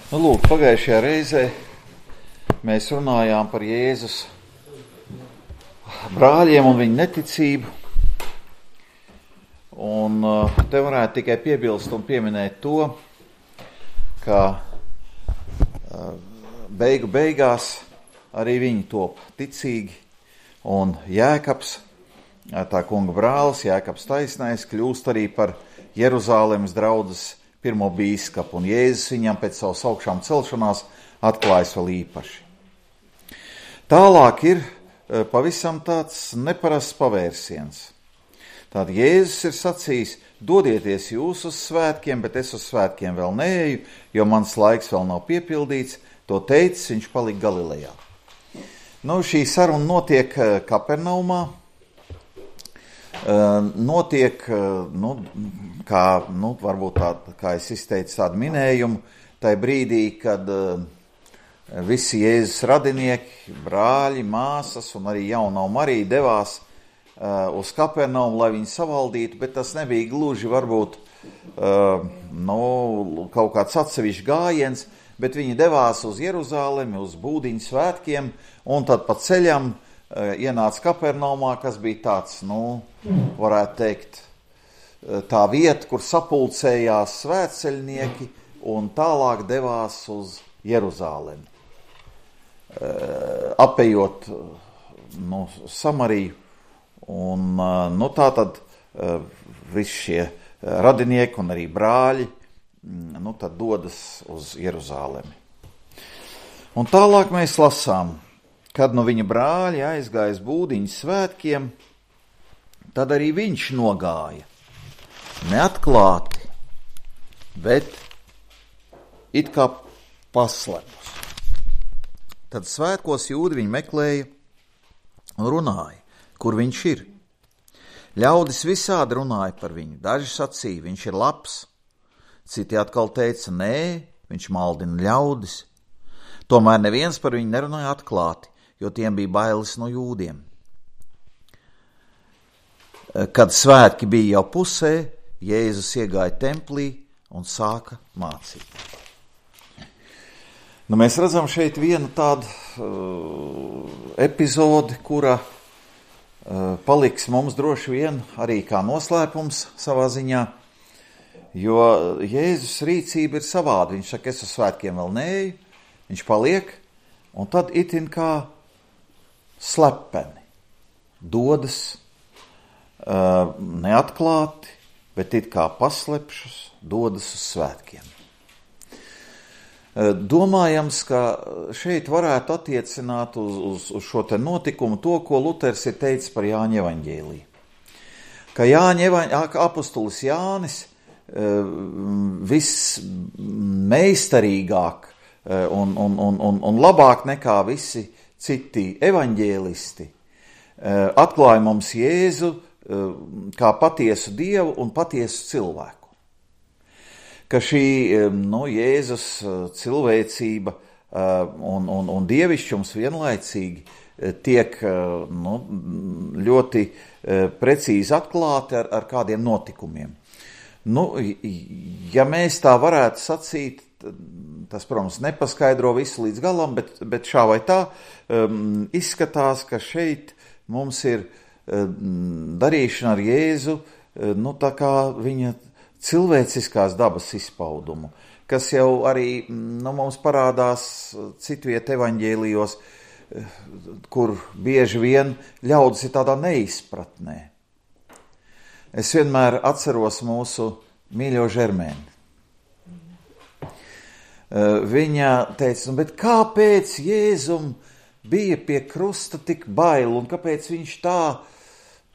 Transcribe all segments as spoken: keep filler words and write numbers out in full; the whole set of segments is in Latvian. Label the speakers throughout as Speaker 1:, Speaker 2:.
Speaker 1: Nu, lūk, pagājušajā reizē mēs runājām par Jēzus brāļiem un viņu neticību. Un te varētu tikai piebilst un pieminēt to, ka beigu beigās arī viņi top ticīgi, un Jēkabs, tā kunga brālis, Jēkabs taisnais, kļūst arī par Jeruzālemes draudzes pirmo bīskapu, un Jēzus viņam pēc savas augšām celšanās atklājas vēl īpaši. Tālāk ir pavisam tāds neparasts pavērsiens. Tātad Jēzus ir sacījis, dodieties jūs uz svētkiem, bet es uz svētkiem vēl neeju, jo mans laiks vēl nav piepildīts. To teicis, viņš palika Galilejā. Nu, šī saruna notiek Kapernaumā, notiek, nu, kā, nu, varbūt tā, kā es izteicu tādu minējumu, tai brīdī, kad visi Jēzus radinieki, brāļi, māsas un arī jaunā Marija devās uz Kapernaumu, lai viņu savaldītu, bet tas nebija gluži varbūt nu, kaut kāds atsevišķs gājiens, bet viņi devās uz Jeruzālemi, uz Būdiņu svētkiem, un tad pa ceļam ienāca Kapernaumā, kas bija tāds, nu, varētu teikt, tā vieta, kur sapulcējās svētceļnieki, un tālāk devās uz Jeruzālemi, apejot, nu, Samariju. Un, nu, tā tad visi šie radinieki un arī brāļi, nu, tad dodas uz Jeruzālemi. Un tālāk mēs lasām, kad nu viņa brāļi aizgājas Būdiņu svētkiem, tad arī viņš nogāja, neatklāti, bet it kā paslepus. Tad svētkos jūdi viņu meklēja un runāja, kur viņš ir. Ļaudis visādi runāja par viņu. Daži sacīja, viņš ir labs. Citi atkal teica, nē, viņš maldina ļaudis. Tomēr neviens par viņu nerunāja atklāti, jo tiem bija bailes no jūdiem. Kad svētki bija jau pusē, Jēzus iegāja templī un sāka mācīt. Nu, mēs redzam šeit vienu tādu uh, epizodi, kura paliks mums droši vien arī kā noslēpums savā ziņā, jo Jēzus rīcība ir savāda. Viņš saka, es uz svētkiem vēl neeju, viņš paliek, un tad itin kā slepeni dodas uh, neatklāti, bet it kā paslepšus dodas uz svētkiem. Domājams, ka šeit varētu attiecināt uz, uz, uz šo te notikumu to, ko Luters ir teicis par Jāņa evaņģēliju. Ka Jāņa apostolis Jānis vismeistarīgāk un, un, un, un, un labāk nekā visi citi evaņģēlisti atklāja mums Jēzu kā patiesu Dievu un patiesu cilvēku. Ka šī, nu, Jēzus cilvēcība un, un, un dievišķums vienlaicīgi tiek, nu, ļoti precīzi atklāti ar, ar kādiem notikumiem. Nu, ja mēs tā varētu sacīt, tas, protams, nepaskaidro visu līdz galam, bet, bet šā vai tā um, izskatās, ka šeit mums ir um, darīšana ar Jēzu, nu, tā kā viņa cilvēciskās dabas izpaudumu, kas jau arī, nu, mums parādās citviet evaņģēlijos, kur bieži vien ļaudis ir tādā neizpratnē. Es vienmēr atceros mūsu mīļo Žermēni. Viņa teica, nu, bet kāpēc Jēzum bija pie krusta tik bail, un kāpēc viņš tā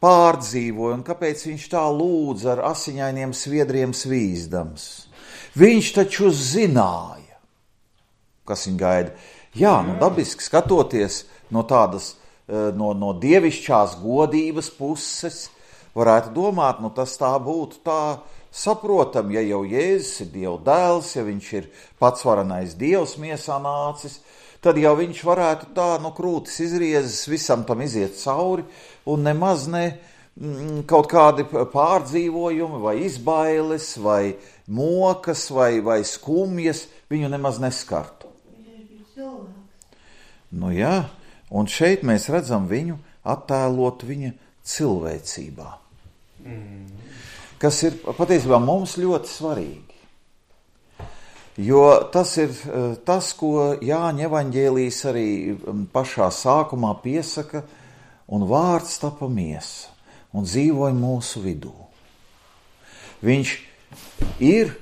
Speaker 1: pārdzīvoja, un kāpēc viņš tā lūdza ar asiņainiem sviedriem svīzdams. Viņš taču zināja, kas viņu gaida. Jā, nu dabiski skatoties no tādas, no, no dievišķās godības puses, varētu domāt, nu tas tā būtu tā saprotam, ja jau Jēzus ir Dieva dēls, ja viņš ir patsvarenais Dievs miesā nācis, tad jau viņš varētu tā, nu, krūtis izriezes, visam tam iziet cauri, un nemaz ne, kaut kādi pārdzīvojumi, vai izbailes, vai mokas, vai, vai skumjas, viņu nemaz neskartu. Nu jā, un šeit mēs redzam viņu attēlot viņa cilvēcībā. Mm. Kas ir patiesībā mums ļoti svarīgi. Jo tas ir tas, ko Jāņa evaņģēlijs arī pašā sākumā piesaka, un vārds tapa miesa un dzīvoja mūsu vidū. Viņš ir,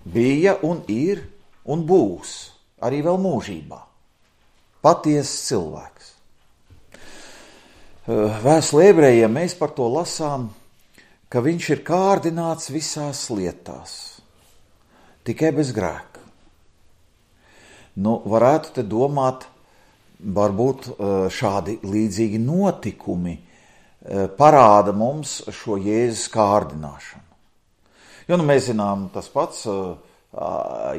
Speaker 1: bija un ir un būs arī vēl mūžībā. Patiesas cilvēks. Vēstulē ebrejiem mēs par to lasām, ka viņš ir kārdināts visās lietās, tikai bez grēka. Nu, varētu te domāt, varbūt šādi līdzīgi notikumi parāda mums šo Jēzus kārdināšanu. Jo nu, mēs zinām, tas pats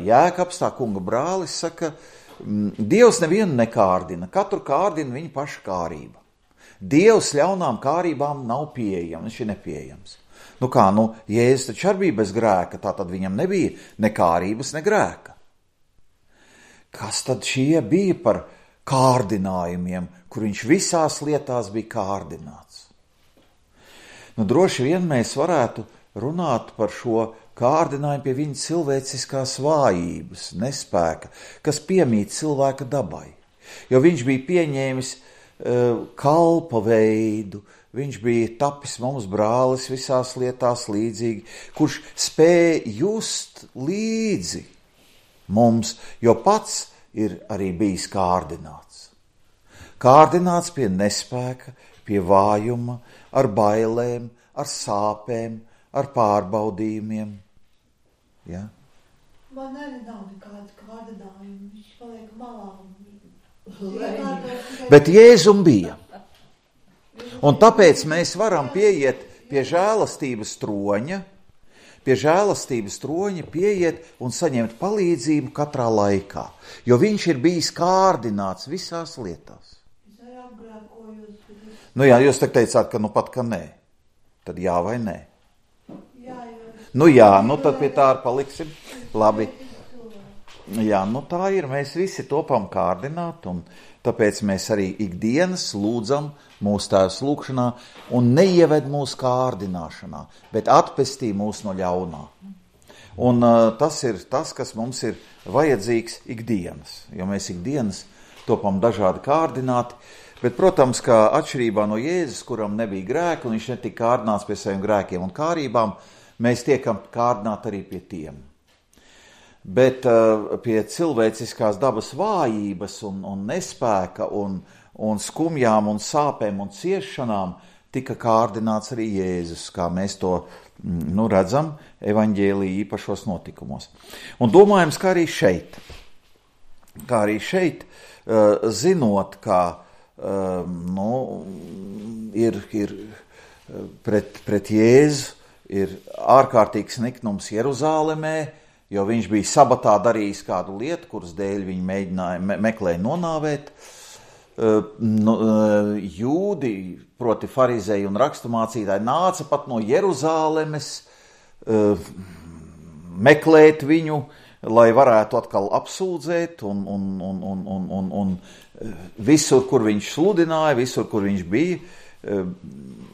Speaker 1: Jēkabs, tā kunga brālis, saka, Dievs nevienu nekārdina, katru kārdina viņa paša kārība. Dievs ļaunām kārībām nav pieejams, viņš ir nepieejams. Nu kā, nu, Jēzus taču arī bija bez grēka, tā tad viņam nebija ne kārības, ne grēka. Kas tad šie bija par kārdinājumiem, kur viņš visās lietās bija kārdināts? Nu, droši vien mēs varētu runāt par šo kārdinājumu pie viņa cilvēciskās vājības, nespēka, kas piemīt cilvēka dabai. Jo viņš bija pieņēmis uh, kalpa veidu, viņš bija tapis mums brālis visās lietās līdzīgi, kurš spēja just līdzi mums, jo pats ir arī bijis kārdināts. Kārdināts pie nespēka, pie vājuma, ar bailēm, ar sāpēm, ar pārbaudījumiem. Ja?
Speaker 2: Man arī nav nekāds kārdinājums, viņš paliek malā.
Speaker 1: Bet Jēzum bija. Un tāpēc mēs varam pieiet pie žēlastības troņa, pie žēlastības troņa pieiet un saņemt palīdzību katrā laikā, jo viņš ir bijis kārdināts visās lietās. Nu jā, jūs te teicāt, ka nu pat, ka nē. Tad jā vai nē?
Speaker 2: Jā, jā.
Speaker 1: Nu jā, nu tad pie tā arī paliksim. Labi. Jā, nu tā ir, mēs visi topam kārdināt, un tāpēc mēs arī ikdienas lūdzam mūsu Tēvs lūgšanā un neieved mūsu kārdināšanā, bet atpestī mūs no ļaunā. Un uh, tas ir tas, kas mums ir vajadzīgs ikdienas, jo mēs ikdienas topam dažādi kārdināti, bet, protams, ka atšķirībā no Jēzus, kuram nebija grēka, un viņš netika kārdināts pie saviem grēkiem un kārībām, mēs tiekam kārdināti arī pie tiem. Bet uh, pie cilvēciskās dabas vājības un, un nespēka un, un skumjām un sāpēm un ciešanām tika kārdināts arī Jēzus, kā mēs to nu, redzam evaņģēlija īpašos notikumos. Un domājams, kā arī šeit, kā arī šeit, uh, zinot, kā Uh, nu, ir, ir pret, pret Jēzu ir ārkārtīgs niknums Jeruzālemē, jo viņš bija sabatā darījis kādu lietu, kuras dēļ viņi mēģināja, me, meklēja nonāvēt. Uh, nu, uh, jūdi, proti farizēji un raksturmācītāji, nāca pat no Jeruzālemes uh, meklēt viņu, lai varētu atkal apsūdzēt un, un, un, un, un, un, un visur, kur viņš sludināja, visur, kur viņš bija,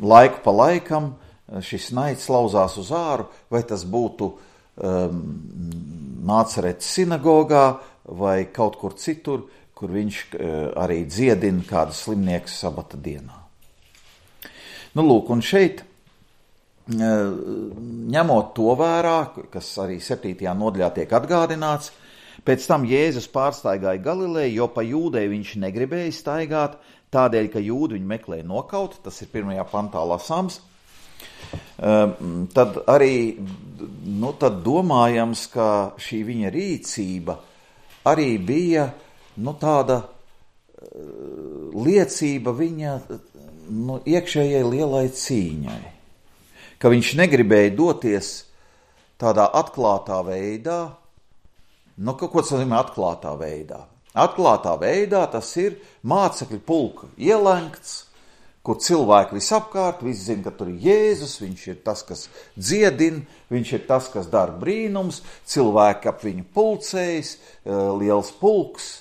Speaker 1: laiku pa laikam šis naids lauzās uz āru, vai tas būtu um, Nācaretes sinagogā vai kaut kur citur, kur viņš uh, arī dziedina kādu slimnieku sabata dienā. Nu, lūk, un šeit, uh, ņemot to vērā, kas arī septītajā nodaļā tiek atgādināts, pēc tam Jēzus pārstaigāja Galileju, jo pa Jūdeju viņš negribēja staigāt, tādēļ, ka jūdi viņu meklēja nokaut, tas ir pirmajā pantā lasāms. Um, tad arī nu, tad domājams, ka šī viņa rīcība arī bija nu, tāda uh, liecība viņa nu, iekšējai lielai cīņai, ka viņš negribēja doties tādā atklātā veidā. Nu, ko tas nozīmē atklātā veidā? Atklātā veidā tas ir mācekļu pulka ielenkts, kur cilvēki visapkārt, visi zina, ka tur ir Jēzus, viņš ir tas, kas dziedina, viņš ir tas, kas dara brīnums, cilvēki ap viņu pulcējas, liels pulks,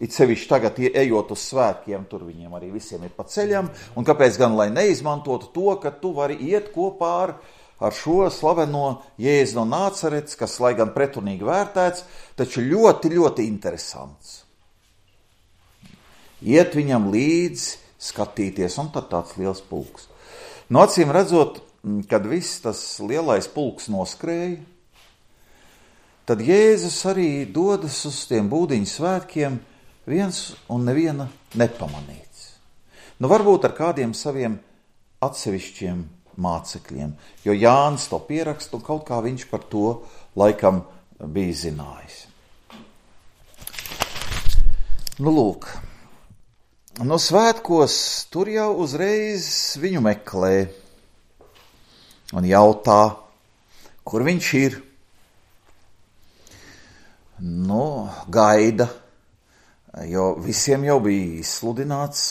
Speaker 1: it sevišķi tagad ejot uz svētkiem, tur viņiem arī visiem ir pa ceļam, un kāpēc gan, lai neizmantotu to, ka tu vari iet kopā ar, ar šo slaveno Jēzu no Nācarets, kas, lai gan pretrunīgi vērtēts, taču ļoti, ļoti interesants. Iet viņam līdzi, skatīties, un tad tāds liels pulks. No acīm redzot, kad viss tas lielais pulks noskrēja, tad Jēzus arī dodas uz tiem būdiņu svētkiem viens un neviena nepamanīts. Nu, varbūt ar kādiem saviem atsevišķiem mācekļiem, jo Jānis to pieraksta, un kaut kā viņš par to laikam bija zinājis. Nu, lūk. No svētkos tur jau uzreiz viņu meklē un jautā, kur viņš ir. Nu, gaida, jo visiem jau bija izsludināts,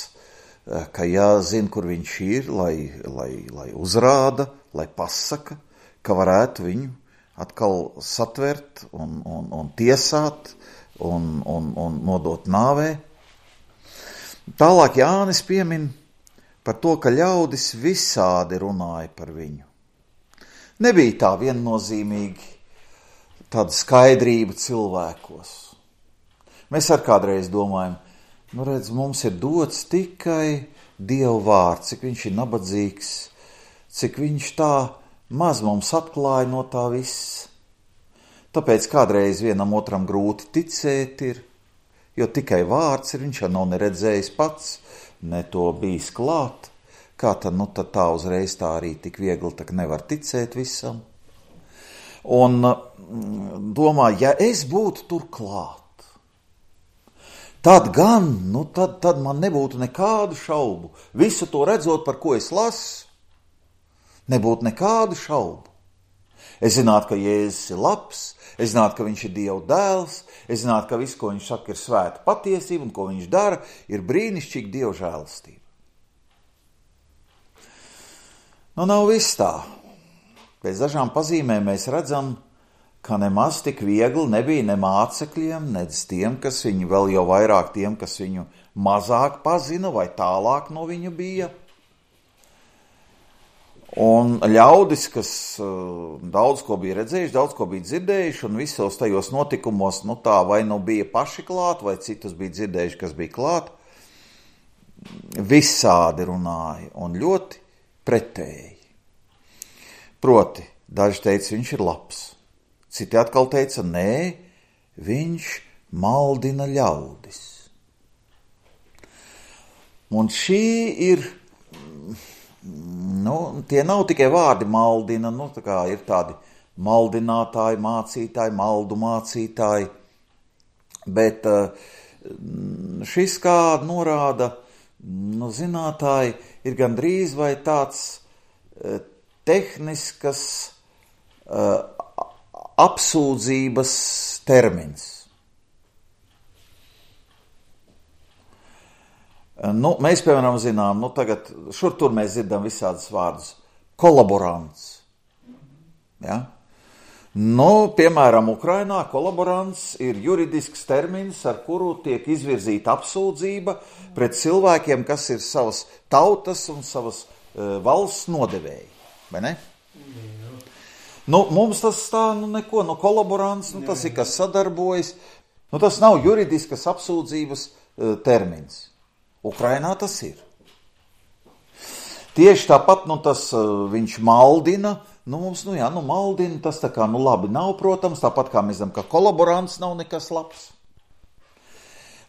Speaker 1: ka jāzina, kur viņš ir, lai, lai, lai uzrāda, lai pasaka, ka varētu viņu atkal satvert un, un, un tiesāt un, un, un nodot nāvē. Tālāk Jānis piemin par to, ka ļaudis visādi runāja par viņu. Nebija tā viennozīmīgi tāda skaidrība cilvēkos. Mēs ar kādreiz domājam, nu redz, mums ir dots tikai Dieva vārds, cik viņš ir nabadzīgs, cik viņš tā maz mums atklāja no tā viss. Tāpēc kādreiz vienam otram grūti ticēt ir, jo tikai vārds ir, viņš jau nav neredzējis pats, ne to bijis klāt. Kā tad, nu tad tā uzreiz tā arī tik viegli, tak nevar ticēt visam. Un domā, ja es būtu tur klāt, tad gan, nu tad, tad man nebūtu nekādu šaubu. Visu to redzot, par ko es lasu, nebūtu nekādu šaubu. Es zinātu, ka Jēzus ir labs, es zinātu, ka viņš ir Dieva dēls, es zinātu, ka viss, ko viņš saka, ir svēta patiesība, un ko viņš dara, ir brīnišķīga Dieva žēlastība. Nu, nav viss tā. Pēc dažām pazīmēm mēs redzam, ka nemaz tik viegli nebija ne mācekļiem, nedz tiem, kas viņu, vēl jau vairāk tiem, kas viņu mazāk pazina vai tālāk no viņu bija. Un ļaudis, kas uh, daudz ko bija redzējuši, daudz ko bija dzirdējuši, un visos tajos notikumos, nu tā, vai nu bija paši klāt, vai citus bija dzirdējuši, kas bija klāt, visādi runāja, un ļoti pretēji. Proti, daži teica, viņš ir labs, citi atkal teica, nē, viņš maldina ļaudis. Un šī ir... Nu, tie nav tikai vārdi maldina, nu, tā kā ir tādi maldinātāji, mācītāji, maldu mācītāji, bet šis kā norāda, nu, zinātāji, ir gandrīz vai tāds tehniskas apsūdzības termins. Nu, mēs, piemēram, zinām, nu, tagad šur tur mēs dzirdam visādus vārdus. Kolaborants. Ja? Nu, piemēram, Ukrainā kolaborants ir juridisks termins, ar kuru tiek izvirzīta apsūdzība pret cilvēkiem, kas ir savas tautas un savas uh, valsts nodevēji. Vai ne? Nu, mums tas tā, nu, neko, nu, kolaborants, nu, tas ir, kas sadarbojas. Nu, tas nav juridiskas apsūdzības uh, termins. Ukrainā tas ir. Tieši tāpat, nu, tas uh, viņš maldina, nu, mums, nu, jā, nu, maldina, tas tā kā, nu, labi nav, protams, tāpat kā mēs zinām, ka kolaborants nav nekas labs.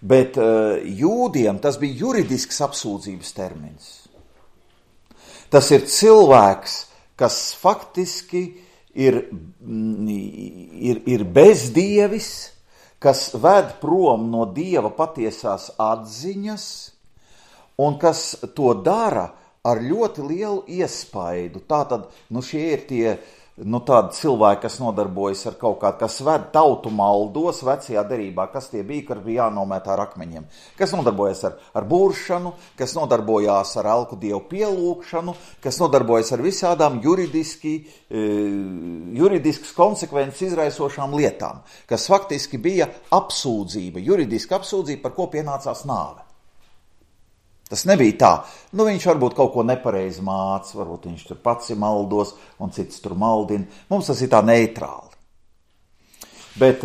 Speaker 1: Bet uh, jūdiem tas bija juridisks apsūdzības termins. Tas ir cilvēks, kas faktiski ir, ir, ir bezdievis, kas ved prom no Dieva patiesās atziņas, un kas to dara ar ļoti lielu iespaidu. Tātad, nu, šie ir tie nu, tādi cilvēki, kas nodarbojas ar kaut kādu, kas ved tautu maldos vecajā derībā, kas tie bija, kur bija jānomētā ar akmeņiem, kas nodarbojas ar, ar būršanu, kas nodarbojās ar elku dievu pielūgšanu, kas nodarbojas ar visādām juridiski, juridiskas konsekvences izraisošām lietām, kas faktiski bija apsūdzība, juridiska apsūdzība, par ko pienācās nāve. Tas nebija tā, nu viņš varbūt kaut ko nepareizi māca, varbūt viņš tur pats ir maldos un cits tur maldina. Mums tas ir tā neitrāli. Bet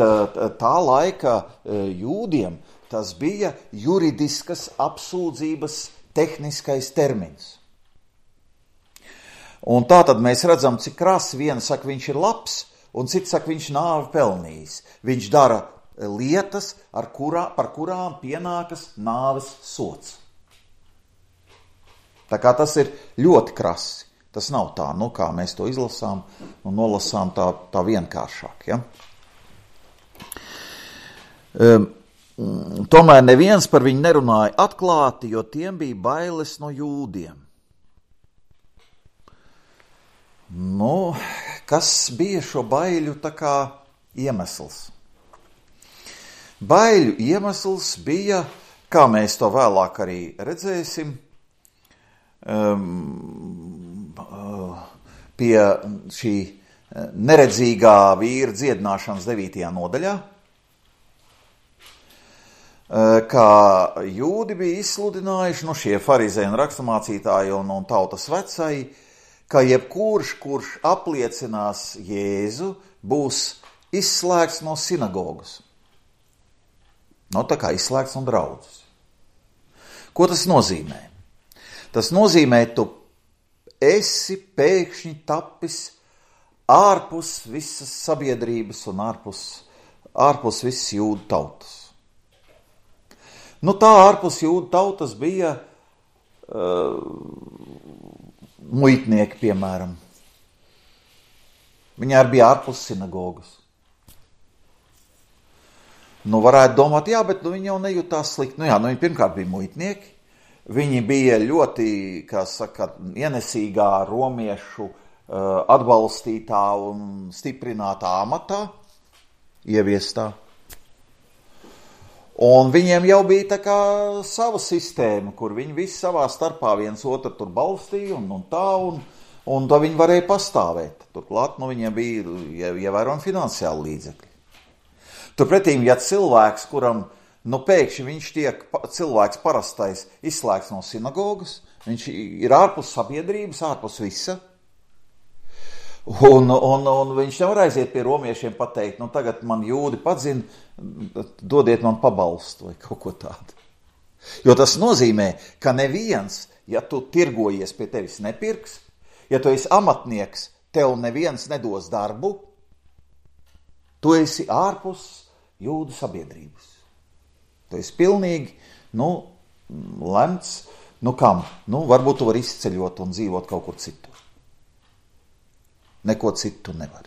Speaker 1: tā laika jūdiem tas bija juridiskas apsūdzības tehniskais termins. Un tā tad mēs redzam, cik krasi viena saka, viņš ir labs, un cits saka, viņš nāvi pelnījis. Viņš dara lietas, ar kurā, par kurām pienākas nāves sots. Tā kā tas ir ļoti krasi. Tas nav tā, nu kā mēs to izlasām un nolasām tā, tā vienkāršāk. Ja? Um, tomēr neviens par viņu nerunāja atklāti, jo tiem bija bailes no jūdiem. Nu, kas bija šo baiļu tā kā iemesls? Baiļu iemesls bija, kā mēs to vēlāk arī redzēsim, Um, uh, pie šī neredzīgā vīra dziedināšanas devītajā nodaļā, uh, kā jūdi bija izsludinājuši, nu šie farizēji un raksturmācītāji un, un tautas vecai, ka jebkurš, kurš apliecinās Jēzu, būs izslēgts no sinagogas. Nu, tā kā izslēgts no draudzes. Ko tas nozīmē? Tas nozīmē, tu esi pēkšņi tapis ārpus visas sabiedrības un ārpus, ārpus visas jūdu tautas. Nu tā ārpus jūdu tautas bija uh, muitnieki, piemēram. Viņi arī bija ārpus sinagogas. Nu varētu domāt, jā, bet nu, viņi jau nejūtās slikti. Nu jā, nu viņi pirmkārt bija muitnieki. Viņi bija ļoti, kā saka, ienesīgā romiešu uh, atbalstītā un stiprinātā amatā, ieviestā. Un viņiem jau bija tā kā sava sistēma, kur viņi visi savā starpā viens otru tur balstīja un, un tā, un, un tā viņi varēja pastāvēt. Turklāt, nu, viņiem bija ievērojami finansiāli līdzekļi. Turpretīm, ja cilvēks, kuram nu, pēkšņi viņš tiek, cilvēks parastais, izslēgts no sinagogas, viņš ir ārpus sabiedrības, ārpus visa, un, un, un viņš nevar aiziet pie romiešiem pateikt, nu, tagad man jūdi padzina, dodiet man pabalstu vai kaut ko tādu. Jo tas nozīmē, ka neviens, ja tu tirgojies pie tevis nepirks, ja tu esi amatnieks, tev neviens nedos darbu, tu esi ārpus jūdu sabiedrības. Tu esi pilnīgi, nu, lemts, nu kam? Nu, varbūt tu vari izceļot un dzīvot kaut kur citur. Neko citu nevar.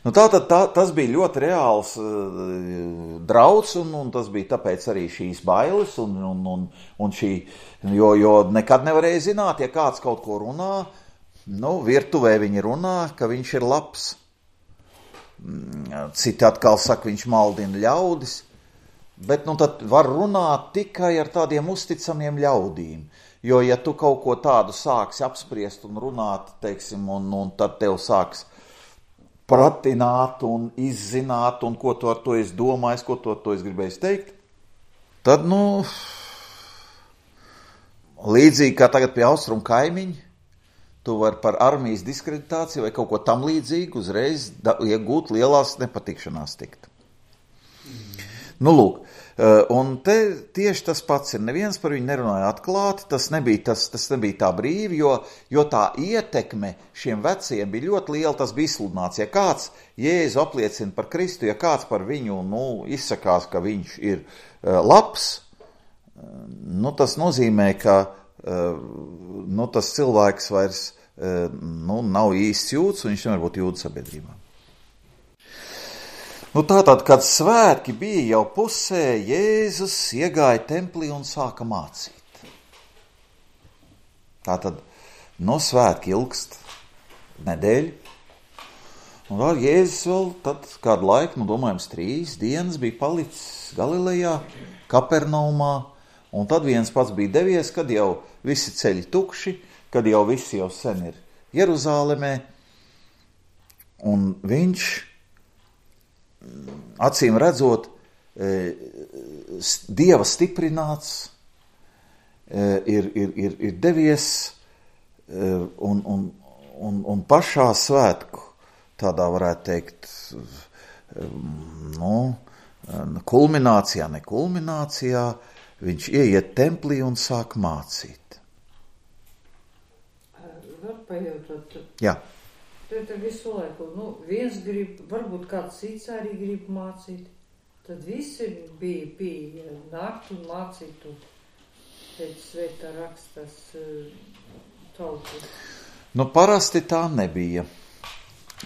Speaker 1: Nu, tātad tā, tas bija ļoti reāls uh, drauds, un, un tas bija tāpēc arī šīs bailes, un, un, un, un šī, jo, jo nekad nevarēja zināt, ja kāds kaut ko runā, nu, virtuvē viņi runā, ka viņš ir labs. Citi atkal saka, viņš maldina ļaudis. Bet nu tad var runāt tikai ar tādiem uzticamiem ļaudīm, jo ja tu kaut ko tādu sāksi apspriest un runāt, teiksim, un, un tad tev sāks pratināt un izzināt, un ko tu ar to esi domājis, ko tu ar to esi gribējis teikt, tad, nu, līdzīgi kā tagad pie austrumu kaimiņa, tu vari par armijas diskreditāciju vai kaut ko tam līdzīgu uzreiz da, iegūt lielās nepatikšanās tikt. Nu, lūk, un te tieši tas pats ir. Neviens par viņu nerunāja atklāti, tas nebija, tas, tas nebija tā brīvi, jo, jo tā ietekme šiem veciem bija ļoti liela, tas bija izsludināts. Ja kāds Jēzu apliecina par Kristu, ja kāds par viņu, nu, izsakās, ka viņš ir uh, labs, nu, tas nozīmē, ka uh, nu, tas cilvēks vairs uh, nu, nav īsts jūds, un viņš nevar būt jūdu sabiedrībā. Nu tātad, kad svētki bija jau pusē, Jēzus iegāja templī un sāka mācīt. Tātad, no svētki ilgst nedēļu. Un vēl Jēzus vēl tad kādu laiku, nu domājams, trīs dienas bija palicis Galilejā, Kapernaumā, un tad viens pats bija devies, kad jau visi ceļi tukši, kad jau visi jau sen ir Jeruzālemē, un viņš, acīm redzot, Dieva stiprināts, ir, ir, ir, ir devies un, un, un, un pašā svētku, tādā varētu teikt, nu, kulminācijā, ne kulminācijā, viņš ieiet templī un sāk mācīt.
Speaker 3: Var pajautot?
Speaker 1: Jā.
Speaker 3: Tad visu laiku, nu, viens grib, varbūt kāds cits arī grib mācīt. Tad visi bija pie nākt un mācītu pēc svētā rakstas tautu.
Speaker 1: Nu, parasti tā nebija.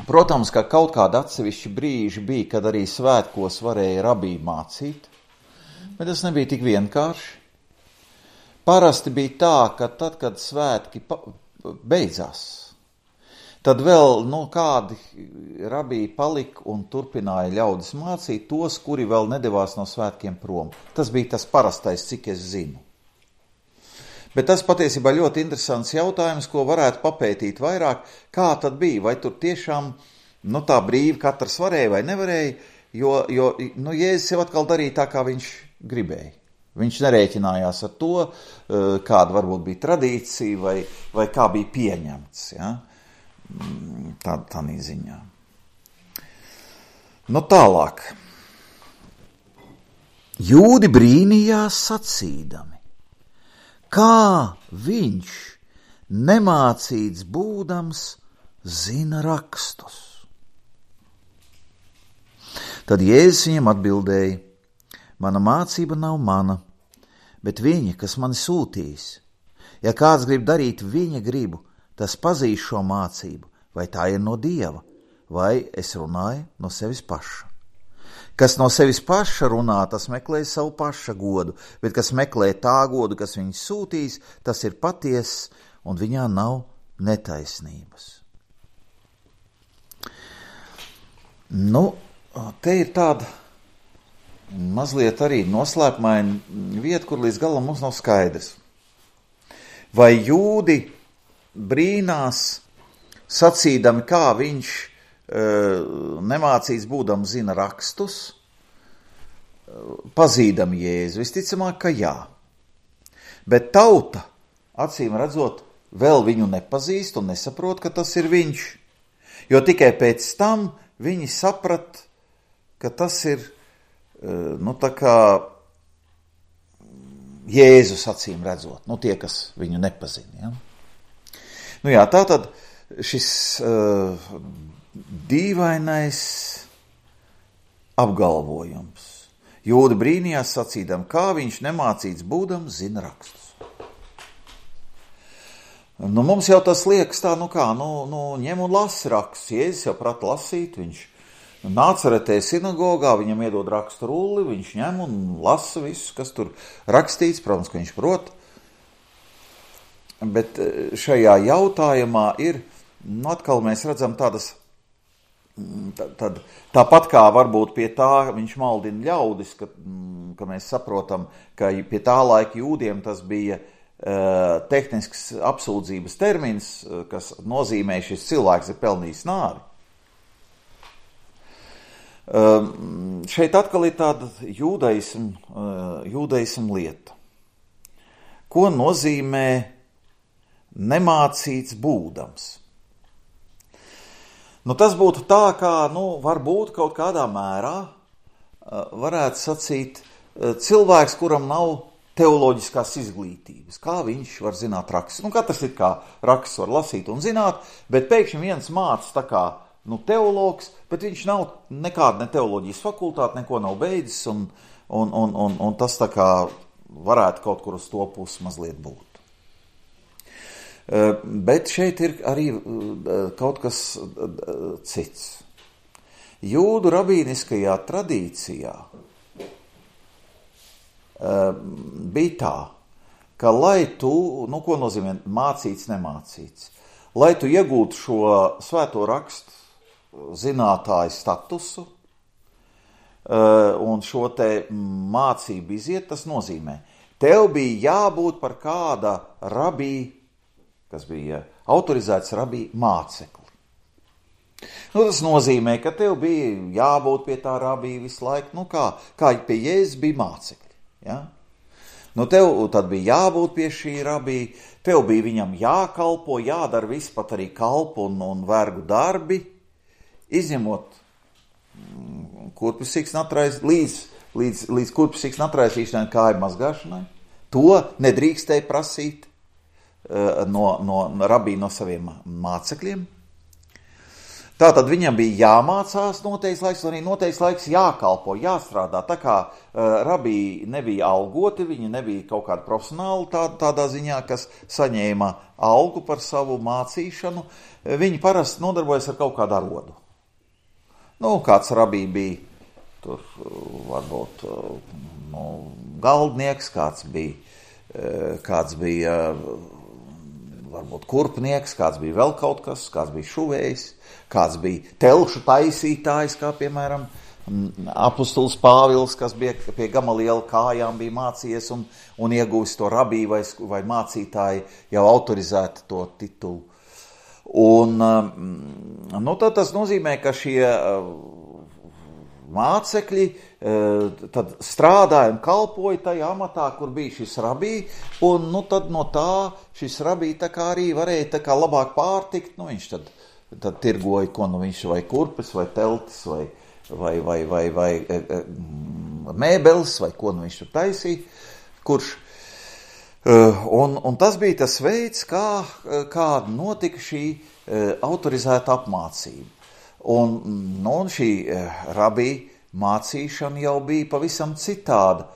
Speaker 1: Protams, ka kaut kāda atsevišķi brīži bija, kad arī svētkos varēja rabī mācīt, bet tas nebija tik vienkārši. Parasti bija tā, ka tad, kad svētki beidzās, tad vēl, nu, kādi rabī palika un turpināja ļaudis mācīt tos, kuri vēl nedevās no svētkiem prom. Tas bija tas parastais, cik es zinu. Bet tas patiesībā ļoti interesants jautājums, ko varētu papētīt vairāk, kā tad bija, vai tur tiešām, nu, tā brīvi katrs varēja vai nevarēja, jo, jo nu, Jēzus jau atkal darīja tā, kā viņš gribēja. Viņš nerēķinājās ar to, kāda varbūt bija tradīcija vai, vai kā bija pieņemts, ja? Tā, tā ziņā. Nu, tālāk. Jūdi brīnījās sacīdami, kā viņš, nemācīts būdams, zina rakstus. Tad Jēzus viņam atbildēja, mana mācība nav mana, bet viņa, kas mani sūtīs. Ja kāds grib darīt viņa gribu, tas pazīs šo mācību, vai tā ir no Dieva, vai es runāju no sevis paša. Kas no sevis paša runā, tas meklē savu paša godu, bet kas meklē tā godu, kas viņu sūtīs, tas ir patiess, un viņā nav netaisnības. Nu, te ir tāda mazliet arī noslēpmaina vieta, kur līdz galam mums nav skaidrs. Vai jūdi brīnās, sacīdami, kā viņš e, nemācīts būdam zina rakstus, pazīdami Jēzu? Visticamāk, ka jā. Bet tauta, acīm redzot, vēl viņu nepazīst un nesaprot, ka tas ir viņš. Jo tikai pēc tam viņi saprat, ka tas ir, e, nu tā kā Jēzus, acīm redzot, nu tie, kas viņu nepazina, ja? Nu jā, tātad šis uh, dīvainais apgalvojums. Jūdi brīnījās sacīdam, kā viņš nemācīts būdam zina rakstus. Nu, mums jau tas liekas tā, nu kā, nu, nu ņem un lasi rakstus. Jēzus jau prata lasīt, viņš Nācaretē sinagogā, viņam iedod rakstu rulli, viņš ņem un lasa visu, kas tur rakstīts, protams, ka viņš prot. Bet šajā jautājumā ir, nu atkal mēs redzam tādas, tad, tad, tāpat kā varbūt pie tā viņš maldina ļaudis, ka, ka mēs saprotam, ka pie tā laika jūdiem tas bija uh, tehnisks apsūdzības termins, kas nozīmē, šis cilvēks ir pelnījis nāvi. Uh, šeit atkal ir tāda jūdaism, uh, jūdaism lieta. Ko nozīmē nemācīts būdams? Nu, tas būtu tā, kā, nu, varbūt kaut kādā mērā varētu sacīt cilvēks, kuram nav teoloģiskās izglītības. Kā viņš var zināt rakstus? Nu, katrs ir kā rakstus var lasīt un zināt, bet pēkšņi viens māc tā kā, nu, teologs, bet viņš nav nekāda ne teoloģijas fakultāte, neko nav beidzis, un, un, un, un, un tas tā kā varētu kaut kur uz to pusi mazliet būt. Bet šeit ir arī kaut kas cits. Jūdu rabīniskajā tradīcijā bija tā, ka lai tu, nu ko nozīmē mācīts, nemācīts, lai tu iegūtu šo svēto rakstu zinātāju statusu un šo te mācību iziet, tas nozīmē, tev bija jābūt par kāda rabī, kas bija autorizēts rabī mācekli. Nu, tas nozīmē, ka tev bija jābūt pie tā rabī visu laiku, nu kā, kā pie Jēzus bija mācekļi, ja? Nu, tev tad bija jābūt pie šī rabī, tev bija viņam jākalpo, jādara viss, pat arī kalpu un, un vergu darbi, izņemot kurpes sikšnatrais, līdz, līdz, līdz kurpes sikšnatraisīšanai kāju mazgāšanai. To nedrīkstēja prasīt uh, no, no rabī no saviem mācekļiem. Tātad viņam bija jāmācās noteikts laiks, un arī noteikts laiks jākalpo, jāstrādā. Tā kā uh, rabī nebija algoti, viņi nebija kaut kādi profesionāli tā, tādā ziņā, kas saņēma algu par savu mācīšanu. Viņi parasti nodarbojas ar kaut kādu arodu. Nu, kāds rabī bija tur varbūt nu, galdnieks, kāds bija, kāds bija varbūt kurpnieks, kāds bija vēl kaut kas, kāds bija šuvējs, kāds bija telšu taisītājs, kā piemēram apustulis Pāvils, kas bija pie Gamaliela kājām bija mācījies un, un ieguvis to rabī vai, vai mācītāji jau autorizētu to titulu. Un nu, tad tas nozīmē, ka šie mācekļi tad strādāja un kalpoja tajā amatā, kur bija šis rabī, un nu, tad no tā šis rabī tā kā arī varēja tā kā labāk pārtikt, nu viņš tad, tad tirgoja, ko nu viņš vai kurpes, vai teltis, vai, vai, vai, vai, vai mēbeles, vai ko nu viņš tur taisīja, kurš, un, un tas bija tas veids, kā, kā notika šī autorizēta apmācība. Un, nu, un šī rabī mācīšana jau bija pavisam citāda,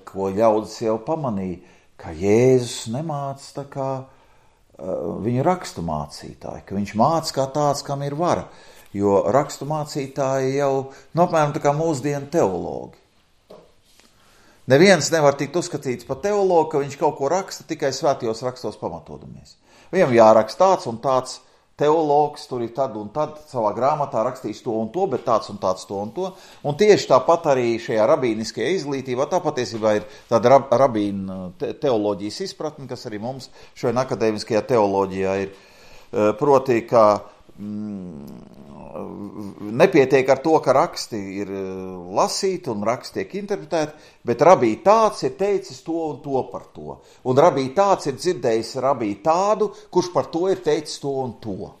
Speaker 1: ko ļaudis jau pamanīja, ka Jēzus nemāca tā kā uh, viņu rakstu mācītāji, ka viņš māca kā tāds, kam ir vara, jo rakstu mācītāji jau, nu, apmēram tā kā mūsdienu teologi. Neviens nevar tikt uzskatīts par teologu, ka viņš kaut ko raksta tikai svētajos rakstos pamatodamies. Viņam jāraksta tāds un tāds teologs, tur ir tad un tad savā grāmatā rakstīs to un to, bet tāds un tāds to un to. Un tieši tāpat arī šajā rabīniskajā izglītībā, tā patiesībā ir tāda rab, rabīna te, teoloģijas izpratne, kas arī mums šodien akadēmiskajā teoloģijā ir. Proti, ka mm, nepietiek ar to, ka raksti ir lasīti un raksti tiek interpretēti, bet rabī tāds ir teicis to un to par to. Un rabī tāds ir dzirdējis rabī tādu, kurš par to ir teicis to un to.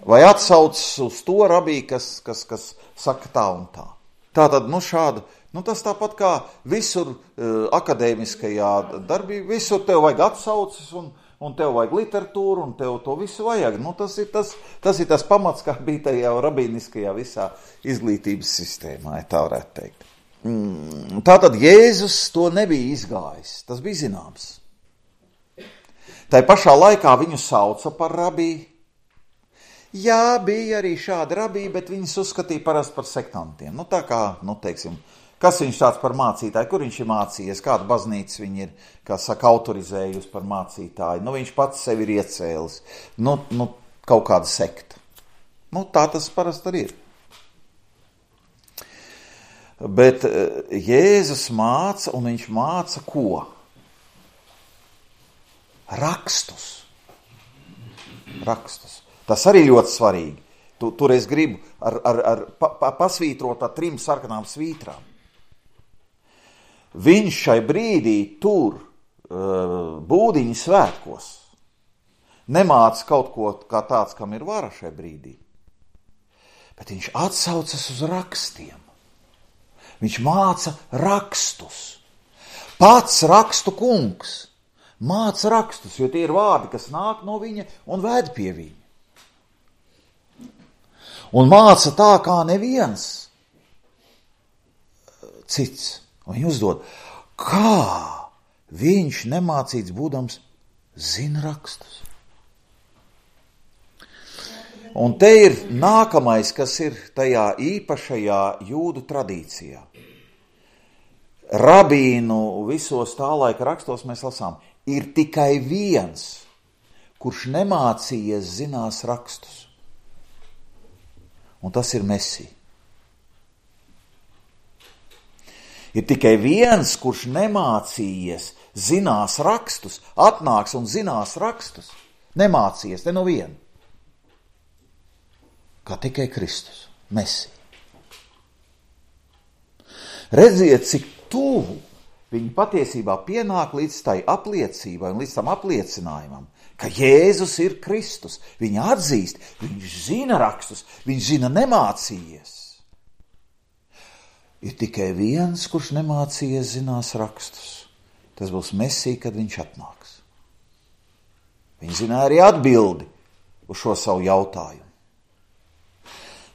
Speaker 1: Vai atsaucas uz to rabī, kas, kas, kas saka tā un tā. Tātad, nu šāda, nu tas tāpat kā visur uh, akadēmiskajā darbībā, visur tev vajag atsaucas un un tev vajag literatūru, un tev to visu vajag. Nu, tas ir tas, tas ir tas pamats, kā bija tajā rabīniskajā visā izglītības sistēmā, ja tā varētu teikt. Mm, tātad Jēzus to nebija izgājis, tas bija zināms. Tai pašā laikā viņu sauca par rabī. Jā, bija arī šādi rabī, bet viņus uzskatīja parasti par sektantiem. Nu, tā kā, nu, teiksim, kas viņš tāds par mācītāju, kur viņš ir mācījies, kāda baznīca viņi ir, kā saka, autorizējusi par mācītāju. Nu, viņš pats sevi ir iecēlis. Nu, nu, kaut kāda sekta. Nu, tā tas parasti arī ir. Bet Jēzus māca, un viņš māca ko? Rakstus. Rakstus. Tas arī ļoti svarīgi. Tu, tur es gribu ar, ar, ar pa, pa, pasvītrot ar trim sarkanām svītrām. Viņš šai brīdī tur uh, būdiņu svētkos nemāca kaut ko kā tāds, kam ir vara šai brīdī. Bet viņš atsaucas uz rakstiem. Viņš māca rakstus. Pats rakstu kungs māca rakstus, jo tie ir vārdi, kas nāk no viņa un ved pie viņa. Un māca tā, kā neviens cits. Un viņi uzdod, kā viņš nemācīts būdams zina rakstus. Un te ir nākamais, kas ir tajā īpašajā jūdu tradīcijā. Rabīnu visos tā laika rakstos mēs lasām, ir tikai viens, kurš nemācījies zinās rakstus. Un tas ir Mesija. Ir tikai viens, kurš nemācījies zinās rakstus, atnāks un zinās rakstus. Nemācījies, ne no viena. Kā tikai Kristus, Mesija. Redziet, cik tuvu viņi patiesībā pienāk līdz tai apliecībai un līdz tam apliecinājumam, ka Jēzus ir Kristus. Viņi atzīst, viņš zina rakstus, viņš zina nemācījies. Ir tikai viens, kurš nemācījies zinās rakstus. Tas būs Mesija, kad viņš atnāks. Viņi zināja arī atbildi uz šo savu jautājumu.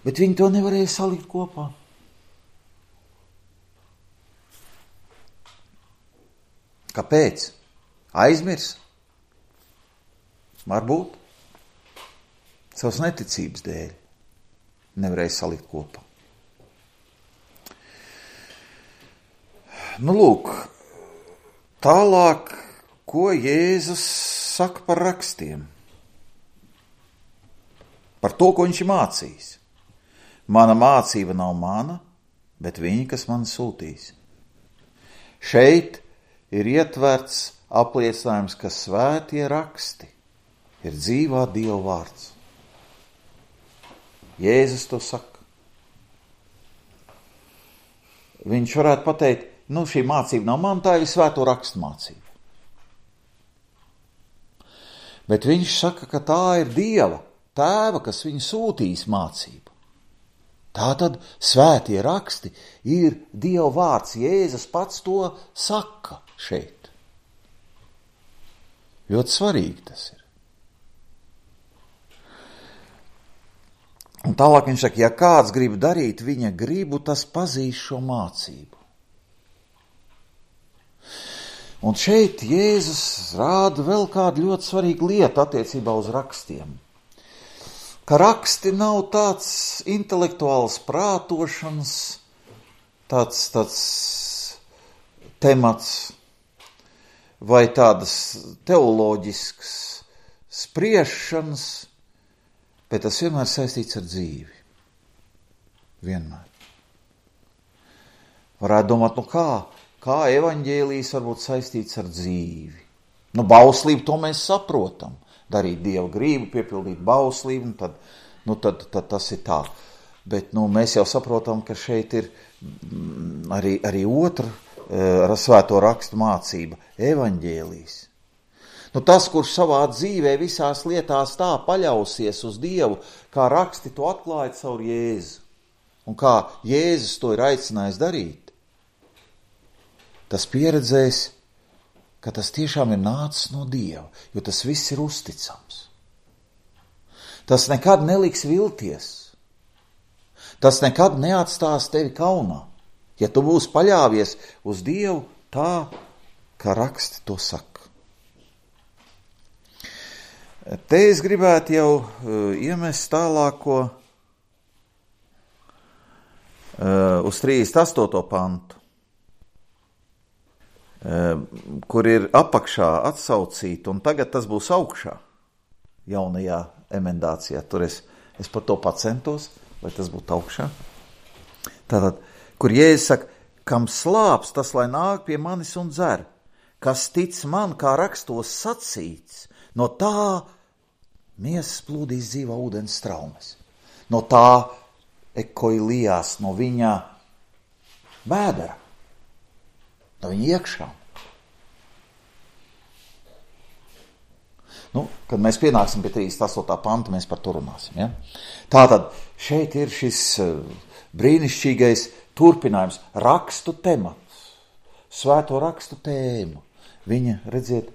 Speaker 1: Bet viņi to nevarēja salikt kopā. Kāpēc? Aizmirs? Varbūt. Savas neticības dēļ nevarēja salikt kopā. Nu, lūk, tālāk, ko Jēzus saka par rakstiem? Par to, ko viņš ir mācījis. Mana mācība nav mana, bet viņi, kas man sūtīs. Šeit ir ietverts apliecinājums, ka svētie raksti ir dzīvā Dieva vārds. Jēzus to saka. Viņš varētu pateikt, nu šī mācība nav man, tā ir svēto rakstu mācība. Bet viņš saka, ka tā ir Dieva tēva, kas viņu sūtīs mācību. Tātad svētie raksti ir Dieva vārds. Jēzus pats to saka šeit. Ļoti svarīgi tas ir. Un tālāk viņš saka, ja kāds grib darīt viņa gribu, tas pazīs šo mācību. Un šeit Jēzus rāda vēl kādu ļoti svarīgu lietu attiecībā uz rakstiem. Ka raksti nav tāds intelektuāls prātošanas, tāds, tāds temats vai tādas teoloģiskas spriešanas, bet tas vienmēr saistīts ar dzīvi. Vienmēr. Varētu domāt, nu kā, kā evaņģēlijs var būt saistīts ar dzīvi? Nu, bauslību to mēs saprotam. Darīt Dieva gribu, piepildīt bauslību, tad, nu, tad, tad tas ir tā. Bet nu, mēs jau saprotam, ka šeit ir arī, arī otra ar svēto rakstu mācība, evaņģēlijs. Nu, tas, kurš savā dzīvē visās lietās tā paļausies uz Dievu, kā raksti to atklāja caur Jēzu, un kā Jēzus to ir aicinājis darīt, tas pieredzēs, ka tas tiešām ir nācis no Dieva, jo tas viss ir uzticams. Tas nekad neliks vilties. Tas nekad neatstās tevi kaunā, ja tu būsi paļāvies uz Dievu tā, kā raksti to saka. Te es gribētu jau uh, iemest tālāko uh, uz trīsdesmit astoto pantu. Kur ir apakšā atsaucīta, un tagad tas būs augšā, jaunajā emendācijā. Tur es, es par to pacentos, lai tas būtu augšā. Tātad, kur Jēzus saka, kam slāps, tas lai nāk pie manis un dzer, kas tic man, kā rakstos sacīts, no tā miesas plūdīs dzīvā ūdens straumes. No tā ekoilijās, no viņa bēdara. No viņa iekšā. Nu, kad mēs pienāksim pie trīsdesmit astotā panta, mēs par to runāsim. Ja? Tātad šeit ir šis brīnišķīgais turpinājums, rakstu temats, svēto rakstu tēmu. Viņa, redziet,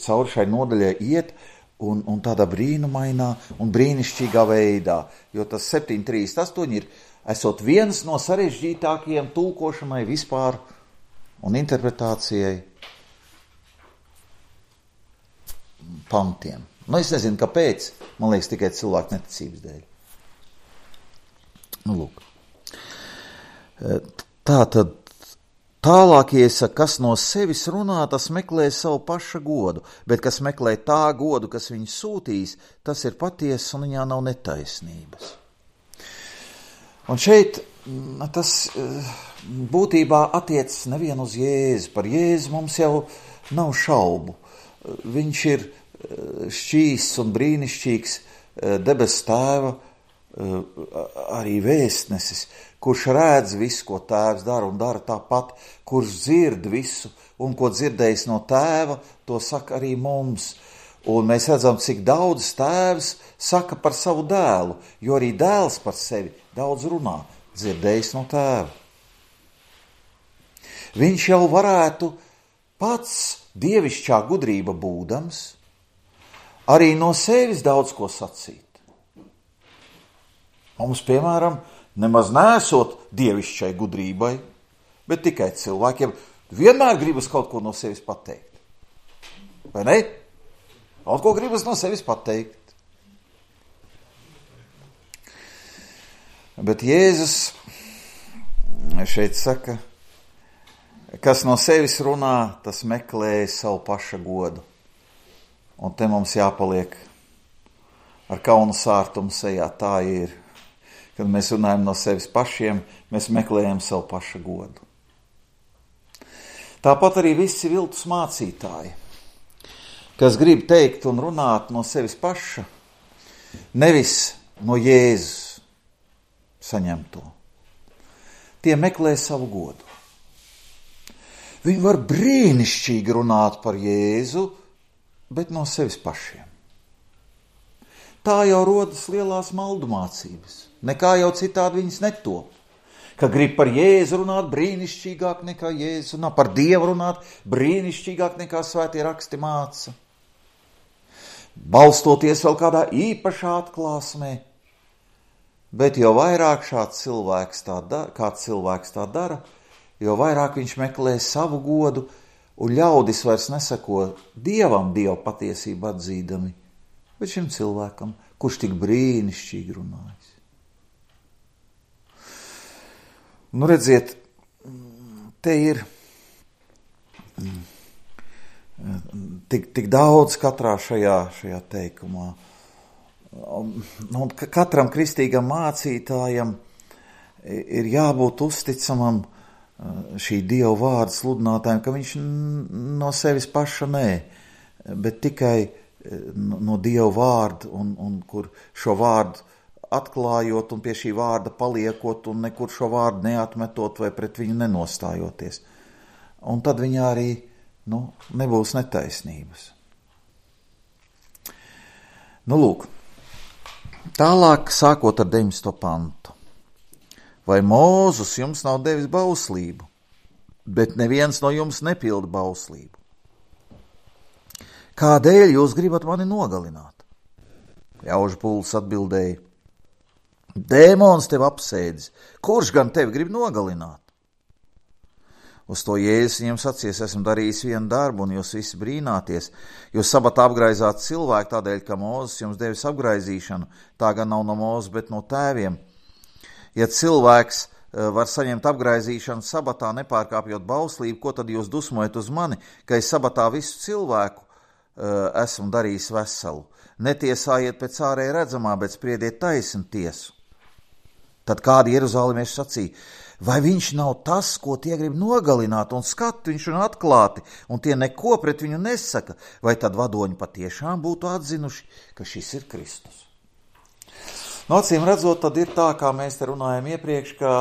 Speaker 1: cauri šai nodaļai iet un, un tādā brīnumainā un brīnišķīgā veidā, jo tas septiņi trīsdesmit astoņi ir, esot viens no sarežģītākajiem tulkošanai vispār un interpretācijai pantiem. Nu, es nezinu, kāpēc. Man liekas, tikai cilvēku neticības dēļ. Nu, lūk. Tā tad Tālāk, ja es saku, kas no sevis runā, tas meklē savu paša godu, bet kas meklē tā godu, kas viņu sūtīs, tas ir patiess un viņā nav netaisnības. Un šeit tas būtībā attiecas nevien uz Jēzu. Par Jēzu mums jau nav šaubu. Viņš ir šķīsts un brīnišķīgs debes tēva arī vēstnesis, kurš redz visu, ko tēvs dara un dara tāpat, kurš dzird visu un ko dzirdējis no tēva, to saka arī mums. Un mēs redzam, cik daudz tēvs saka par savu dēlu, jo arī dēls par sevi daudz runā, dzirdējis no tēva. Viņš jau varētu pats dievišķā gudrība būdams, arī no sevis daudz ko sacīt. Mums, piemēram, nemaz nesot dievišķai gudrībai, bet tikai cilvēkiem vienmēr gribas kaut ko no sevis pateikt. Vai ne? Kaut ko gribas no sevis pateikt. Bet Jēzus šeit saka, kas no sevis runā, tas meklē savu paša godu. Un te mums jāpaliek ar kaunu sārtumu sejā, tā ir. Kad mēs runājam no sevis pašiem, mēs meklējam savu paša godu. Tāpat arī visi viltus mācītāji, kas grib teikt un runāt no sevis paša, nevis no Jēzus saņemto. Tie meklē savu godu. Viņi var brīnišķīgi runāt par Jēzu, bet no sevis pašiem. Tā jau rodas lielās maldu mācības. Nekā jau citādi viņas netop. Ka grib par Jēzu runāt brīnišķīgāk nekā Jēzu, un par Dievu runāt brīnišķīgāk nekā svētie raksti māca. Balstoties vēl kādā īpašā atklāsmē. Bet jo vairāk šāds cilvēks tā dara, kāds cilvēks tā dara, jo vairāk viņš meklē savu godu, un ļaudis vairs nesako Dievam Dievu patiesību atzīdami, bet šim cilvēkam, kurš tik brīnišķīgi runājis. Nu, redziet, te ir tik, tik daudz katrā šajā, šajā teikumā. Un katram kristīgam mācītājam ir jābūt uzticamam šī Dieva vārda sludinātājiem, ka viņš no sevis paša nē, bet tikai no Dieva vārda, un, un kur šo vārdu atklājot un pie šī vārda paliekot un nekur šo vārdu neatmetot vai pret viņu nenostājoties. Un tad viņā arī nu, nebūs netaisnības. Nu, lūk, tālāk sākot ar deviņdesmito pantu. Vai Mūzes jums nav devis bauslību, bet neviens no jums nepilda bauslību? Kādēļ jūs gribat mani nogalināt? Ļaužu pulks atbildēja, dēmons tev apsēdis, kurš gan tevi grib nogalināt? Uz to Jēzus viņiem sacīs, esmu darījis vienu darbu, un jūs visi brīnāties. Jūs sabatā apgraizāt cilvēku tādēļ, ka Mūzes jums devis apgraizīšanu, tā gan nav no Mūzes, bet no tēviem. Ja cilvēks var saņemt apgraizīšanu sabatā, nepārkāpjot bauslību, ko tad jūs dusmojat uz mani, ka es sabatā visu cilvēku esmu darījis veselu? Netiesājiet pēc ārēji redzamā, bet spriediet taisnu tiesu. Tad kādi jeruzālimieši sacīja, vai viņš nav tas, ko tie grib nogalināt, un skat viņš un atklāti, un tie neko pret viņu nesaka, vai tad vadoņi patiešām būtu atzinuši, ka šis ir Kristus? No acīm redzot, tad ir tā, kā mēs te runājam iepriekš, ka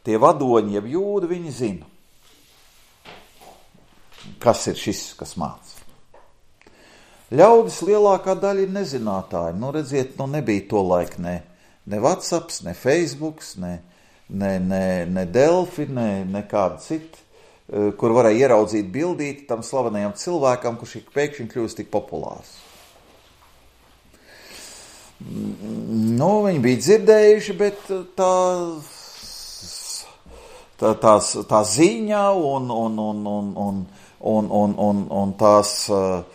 Speaker 1: tie vadoņi, jeb jūdi, viņi zina, kas ir šis, kas māca. Ļaudis lielākā daļa ir nezinātāji. Nu, redziet, nu nebija to laiku ne, ne WhatsApps, ne Facebooks, ne, ne, ne, ne Delfi, ne, ne kāda cita, kur varēja ieraudzīt bildīt tam slavenajam cilvēkam, kurš pēkšņi kļūst tik populārs. Nu, viņi bija dzirdējuši, bet tā, tā, tās, tā ziņa un, un, un, un, un, un, un, un, un tās um,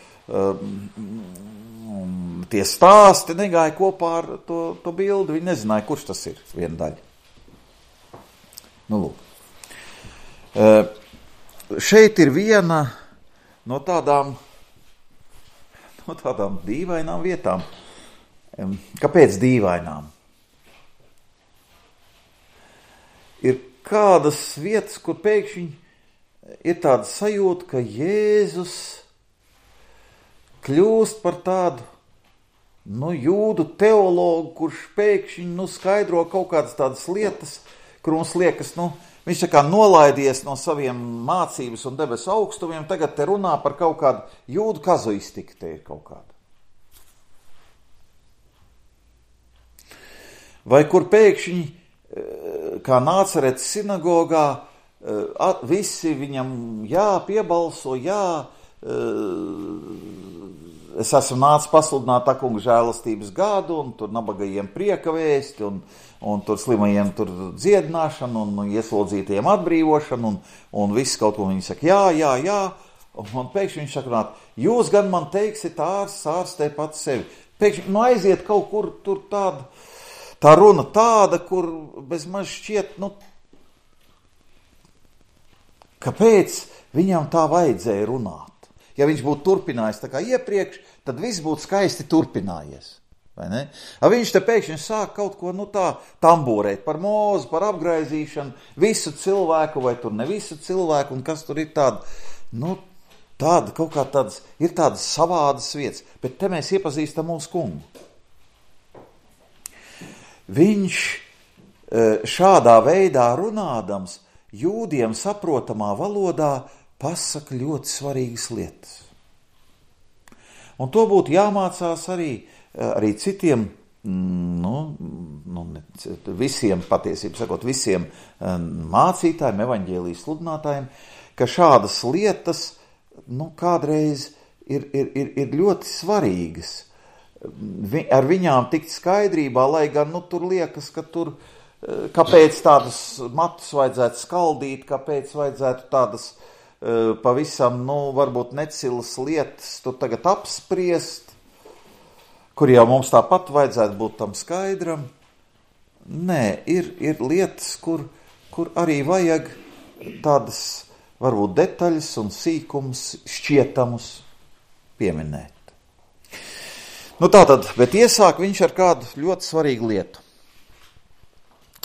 Speaker 1: tie stāsti negāja kopā ar to, to bildi. Viņi nezināja, kurš tas ir, viena daļa. Nu, lūk. Uh, šeit ir viena no tādām, no tādām dīvainām vietām. Kāpēc dīvainām? Ir kādas vietas, kur pēkšņi ir tāda sajūta, ka Jēzus kļūst par tādu, nu, jūdu teologu, kurš pēkšņi, nu, skaidro kaut kādas tādas lietas, kur mums liekas, nu, viņš tā kā nolaidies no saviem mācības un debesu augstumiem, tagad te runā par kaut kādu jūdu kazuistiku, te ir kaut kāda. Vai kur pēkšņi, kā Nācaretes sinagogā, visi viņam jā, piebalso, jā, es esmu nācis pasludināt tā kunga žēlastības gadu, un tur nabagajiem prieka vēsti, un, un tur slimajiem tur dziedināšanu, un ieslodzītajiem atbrīvošanu, un, un viss kaut ko viņi saka, jā, jā, jā, un, un pēkšņi viņš saka, jūs gan man teiksit ārsts, ārstē pats sevi. Pēkšņi, nu aiziet kaut kur tur tāda, tā runa tāda, kur bez maz šķiet, nu, kāpēc viņam tā vajadzēja runāt? Ja viņš būtu turpinājis tā kā iepriekš, tad viss būtu skaisti turpinājies. Vai ne? A viņš te pēkšņi sāk kaut ko, nu tā, tamborēt par mūzu, par apgraizīšanu, visu cilvēku vai tur ne visu cilvēku, un kas tur ir tāda, nu, tāda kaut kā tādas, ir tādas savādas vietas, bet te mēs iepazīstam mūsu kungu. Viņš šādā veidā runādams, jūdiem saprotamā valodā pasaka ļoti svarīgas lietas. Un to būtu jāmācās arī, arī citiem, nu, nu, visiem, patiesībā sakot, visiem mācītājiem, evaņģēlijas sludinātājiem, ka šādas lietas, nu, kādreiz ir, ir, ir, ir ļoti svarīgas. Vi, ar viņām tikt skaidrībā, lai gan, nu, tur liekas, ka tur, kāpēc tādas matus vajadzētu skaldīt, kāpēc vajadzētu tādas pavisam, nu, varbūt necilas lietas tur tagad apspriest, kur jau mums tāpat vajadzētu būt tam skaidram. Nē, ir, ir lietas, kur, kur arī vajag tādas, varbūt detaļas un sīkums šķietamus pieminēt. Nu tātad, bet iesāk viņš ar kādu ļoti svarīgu lietu.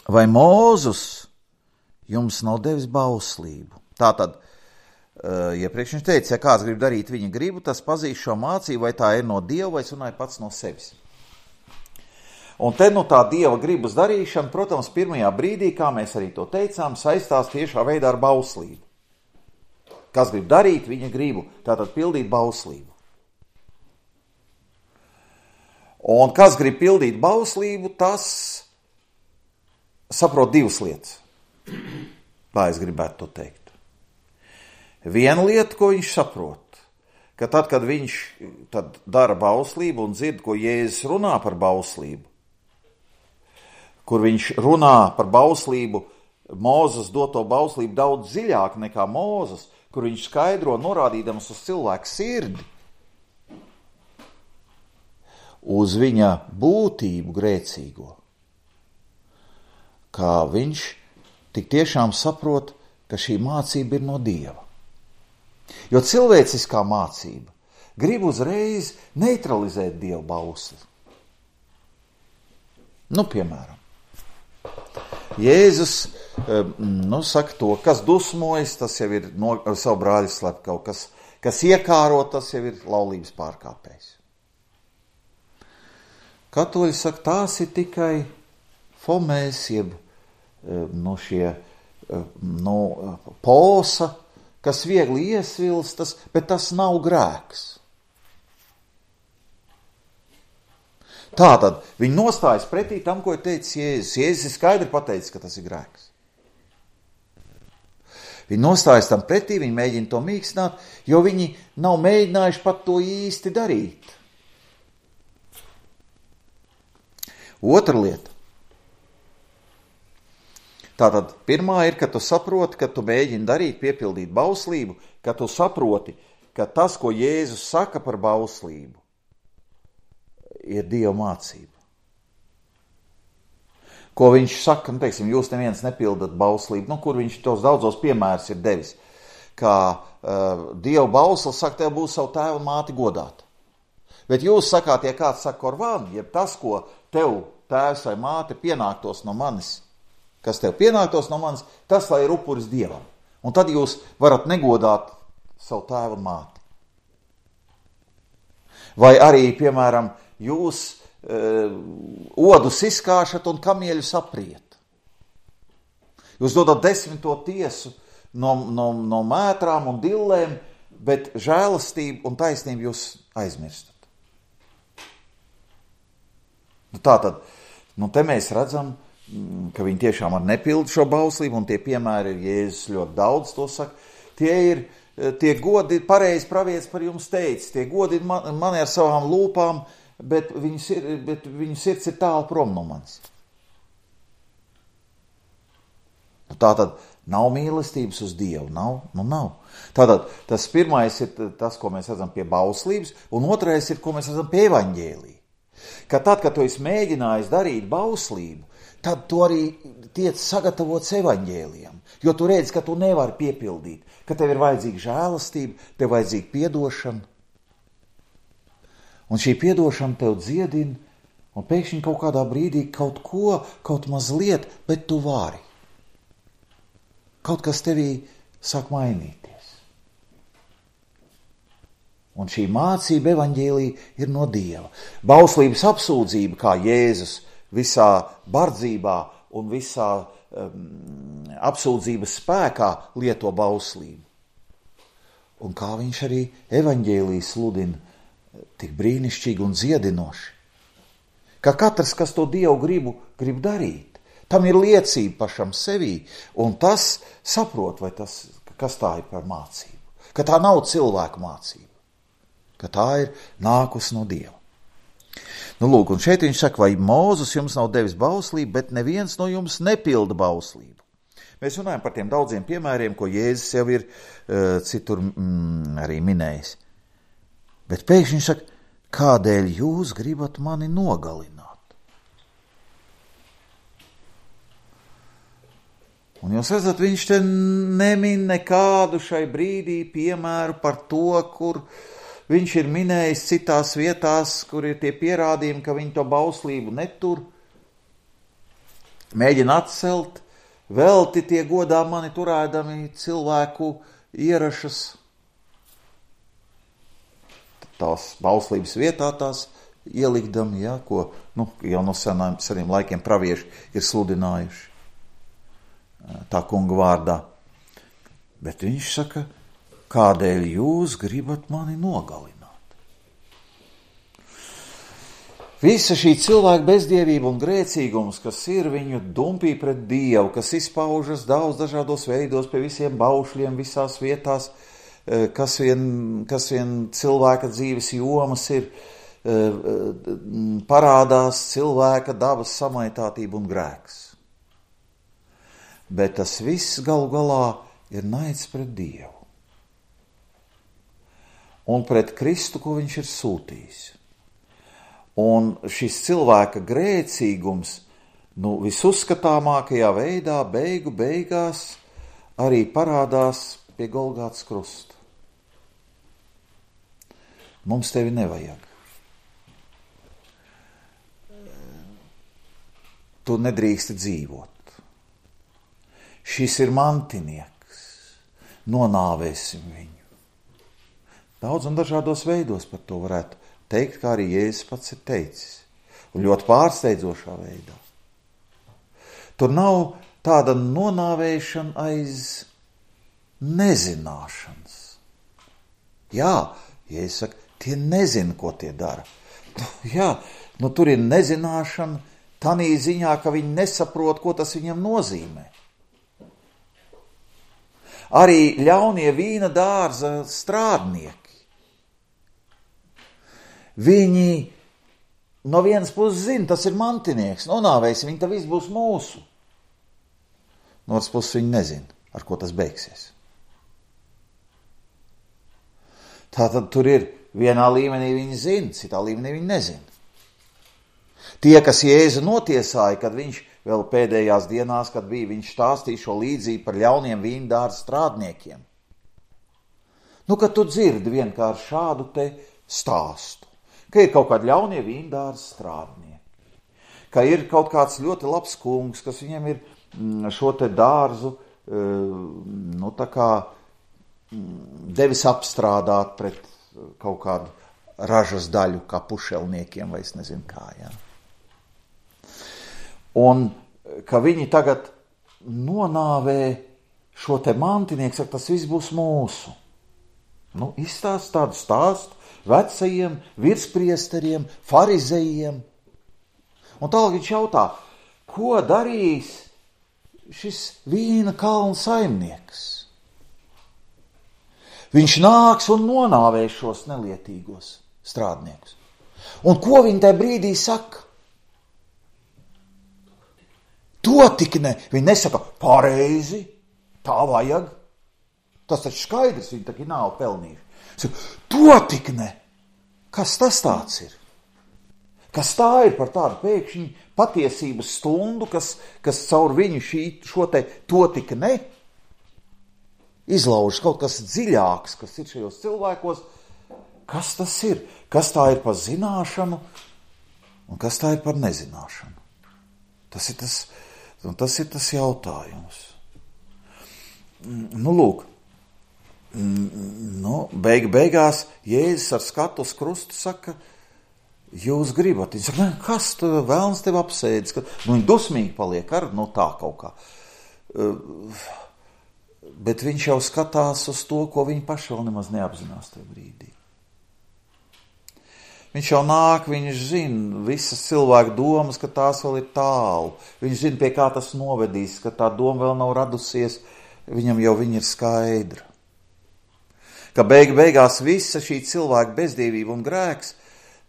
Speaker 1: Vai Mūzus jums nav devis bauslību? Tātad, iepriekš viņš teica, ja kāds grib darīt viņa gribu, tas pazīs šo mācību, vai tā ir no Dieva, vai es runāju pats no sevis. Un te nu tā Dieva gribas darīšana, protams, pirmajā brīdī, kā mēs arī to teicām, saistās tiešā veidā ar bauslību. Kas grib darīt viņa gribu, tātad pildīt bauslību. Un kas grib pildīt bauslību, tas saprot divas lietas. Tā es gribētu to teikt. Viena lieta, ko viņš saprot, ka tad, kad viņš tad dara bauslību un dzird, ko Jēzus runā par bauslību, kur viņš runā par bauslību, Mūzes doto bauslību daudz dziļāk nekā Mūzes, kur viņš skaidro norādīdams uz cilvēku sirdi, uz viņa būtību grēcīgo, kā viņš tik tiešām saprot, ka šī mācība ir no Dieva. Jo cilvēciskā mācība grib uzreiz neutralizēt Dieva bausli. Nu, piemēram, Jēzus, nu, saka to, kas dusmojas, tas jau ir no, ar savu brāļu slepkavu, kas, kas iekāro, tas jau ir laulības pārkāpējs. Katoļi saka, tās ir tikai fomēs, jeb no šie no posa, kas viegli iesvilstas, bet tas nav grēks. Tātad viņi nostājas pretī tam, ko ir teicis Jēzus. Jēzus ir skaidri pateicis, ka tas ir grēks. Viņi nostājas tam pretī, viņi mēģina to mīkstināt, jo viņi nav mēģinājuši pat to īsti darīt. Otra lieta. Tātad pirmā ir, ka tu saproti, ka tu mēģini darīt, piepildīt bauslību, ka tu saproti, ka tas, ko Jēzus saka par bauslību, ir Dieva mācība. Ko viņš saka, nu, teiksim, jūs neviens nepildat bauslību, nu, kur viņš tos daudzos piemērus ir devis. ka uh, Dieva bauslis saka, tev būs savu tēvu un māti godāt. Bet jūs sakāt, ja kāds saka korvānu, jeb tas, ko tev tēvs vai māte pienāktos no manis, kas tev pienāktos no manis, tas lai ir upuris Dievam. Un tad jūs varat negodāt savu tēvu un māti. Vai arī, piemēram, jūs uh, odus izkāšat un kamieļus apriet. Jūs dodat desmito tiesu no, no, no mētrām un dillēm, bet žēlastību un taisnību jūs aizmirstat. Nu, tātad, nu, te mēs redzam, ka viņi tiešām ar nepildu šo bauslību, un tie piemēri ir Jēzus ļoti daudz to saka. Tie ir, tie godi, pareizi pravietis par jums teica, tie godi man, mani ar savām lūpām, bet viņu, sir, bet viņu sirds ir tālu prom no manis. Nu, tātad nav mīlestības uz Dievu, nav, nu nav. Tātad tas pirmais ir tas, ko mēs redzam pie bauslības, un otrais ir, ko mēs redzam pie evaņģēlī. Ka tad, kad tu esi mēģinājis darīt bauslību, tad tu arī tiec sagatavots evaņģēlijam, jo tu redzi, ka tu nevari piepildīt, ka tev ir vajadzīga žēlastība, tev vajadzīga piedošana. Un šī piedošana tev dziedina, un pēkšņi kaut kādā brīdī kaut ko, kaut mazliet, bet tu vari. Kaut kas tevī sāk mainīties. Un šī mācība evaņģēlī ir no Dieva. Bauslības apsūdzība, kā Jēzus visā bardzībā un visā um, apsūdzības spēkā lieto bauslību. Un kā viņš arī evaņģēlī sludina tik brīnišķīgi un dziedinoši. Ka katrs, kas to Dievu gribu, grib darīt, tam ir liecība pašam sevī, un tas saprot, vai tas, kas tā ir par mācību. Ka tā nav cilvēku mācība, ka tā ir nākus no Dieva. Nu, lūk, un šeit viņš saka, vai Mūzes jums nav devis bauslību, bet neviens no jums nepilda bauslību. Mēs runājam par tiem daudziem piemēriem, ko Jēzus jau ir uh, citur mm, arī minējis. Bet pēkšņi viņš saka, kādēļ jūs gribat mani nogalināt? Un jūs redzat, viņš te nemin nekādu šai brīdī piemēru par to, kur viņš ir minējis citās vietās, kur ir tie pierādījumi, ka viņi to bauslību netur, mēģina atcelt, velti tie godā mani turēdami cilvēku ierašas, tās bauslības vietā tās ielikdami, ja, ko nu, jau no senām, seniem laikiem pravieši ir sludinājuši. Tā kunga vārdā. Bet viņš saka, kādēļ jūs gribat mani nogalināt? Visa šī cilvēka bezdievība un grēcīgums, kas ir viņu dumpī pret Dievu, kas izpaužas daudz dažādos veidos pie visiem baušļiem, visās vietās, kas vien, kas vien cilvēka dzīves jomas ir, parādās cilvēka dabas samaitātība un grēks. Bet tas viss galu galā ir naids pret Dievu un pret Kristu, ko viņš ir sūtījis. Un šis cilvēka grēcīgums, nu, visuzskatāmākajā veidā, beigu beigās, arī parādās pie Golgātas krusta. Mums tevi nevajag. Tu nedrīksti dzīvot. Šis ir mantinieks, nonāvēsim viņu. Daudz un dažādos veidos par to varētu teikt, kā arī Jēzus pats ir teicis, un ļoti pārsteidzošā veidā. Tur nav tāda nonāvēšana aiz nezināšanas. Jā, Jēzus saka, tie nezina, ko tie dara. Jā, nu tur ir nezināšana tanī ziņā, ka viņi nesaprot, ko tas viņam nozīmē. Arī ļaunie vīna dārza strādnieki. Viņi no vienas puses zina, tas ir mantinieks, nonāvēsim, viņi tā viss būs mūsu. No otras puses viņi nezina, ar ko tas beigsies. Tātad tur ir vienā līmenī viņi zina, citā līmenī viņi nezina. Tie, kas Jēzu notiesāja, kad viņš vēl pēdējās dienās, kad bija, viņš stāstīja šo līdzību par ļauniem vīndārza strādniekiem. Nu, kad tu dzirdi vienkārši šādu te stāstu, ka ir kaut kādi ļaunie vīndārs strādnieki, ka ir kaut kāds ļoti labs kungs, kas viņam ir šo te dārzu, nu, tā kā devis apstrādāt pret kaut kādu ražas daļu, kā pušelniekiem, vai es nezinu kā, jā. Un ka viņi tagad nonāvē šo te mantinieku, saka, tas viss būs mūsu. Nu, izstāst tādu stāstu vecajiem virspriesteriem, farizejiem. Un tālāk viņš jautā, ko darīs šis vīna kalna saimnieks? Viņš nāks un nonāvēs šos nelietīgos strādniekus. Un ko viņi tajā brīdī saka? To tik ne. Viņi nesaka, pareizi, tā vajag. Tas taču skaidrs, viņi taču nav pelnījuši. Saka, to tik ne. Kas tas tāds ir? Kas tā ir par tādu pēkšņi patiesības stundu, kas, kas caur viņu šī, šo te to tik ne izlaužas kaut kas dziļāks, kas ir šajos cilvēkos. Kas tas ir? Kas tā ir par zināšanu un kas tā ir par nezināšanu? Tas ir tas, tas ir tas jautājums. Nu, lūk, nu, beig, beigās Jēzus ar skatu uz krustu saka, jūs gribat. Viņš saka, ne, kas tu, vēlns tev apsēdis? Ka, nu, viņi dusmīgi paliek ar, nu, tā kaut kā. Uh, bet viņš jau skatās uz to, ko viņi paši vēl nemaz neapzinās tajā brīdī. Viņš jau nāk, viņš zina visas cilvēku domas, ka tās vēl ir tālu. Viņš zina, pie kā tas novedīs, ka tā doma vēl nav radusies, viņam jau viņa ir skaidra. Ka beig, beigās visa šī cilvēka bezdievība un grēks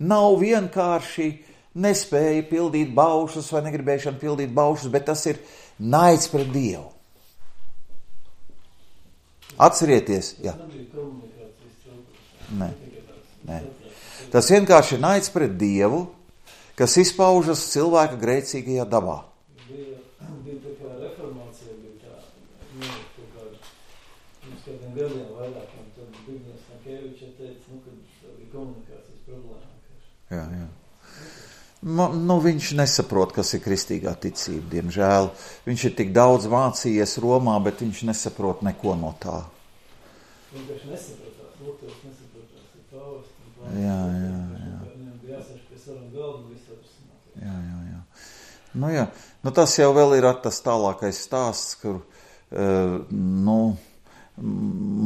Speaker 1: nav vienkārši nespēja pildīt baušus vai negribēšana pildīt baušus, bet tas ir naids pret Dievu. Atcerieties, jā. Nē, nē. Tas vienkārši ir naids pret Dievu, kas izpaužas cilvēka grēcīgajā dabā.
Speaker 4: Bija, bija tā kā reformācija, bija tā, nu, tā kā, mums kādiem gadiem vairāk, un tad Bigņas Nakeviča teica, nu, kad bija komunikācijas problēma.
Speaker 1: Jā, jā. Nu, nu, viņš nesaprot, kas ir kristīgā ticība, diemžēl. Viņš ir tik daudz mācījies Romā, bet viņš nesaprot neko no tā.
Speaker 4: Vienkārši nesapratās, lūgtos nesapratās, ir pāvest.
Speaker 1: Jā, jā, jā.
Speaker 4: Viņam bija jāsēž pie sarunu galda un visu atrasināt.
Speaker 1: Jā, jā, jā. Nu, jā. Nu, tas jau vēl ir tas tālākais stāsts, kur, uh, nu,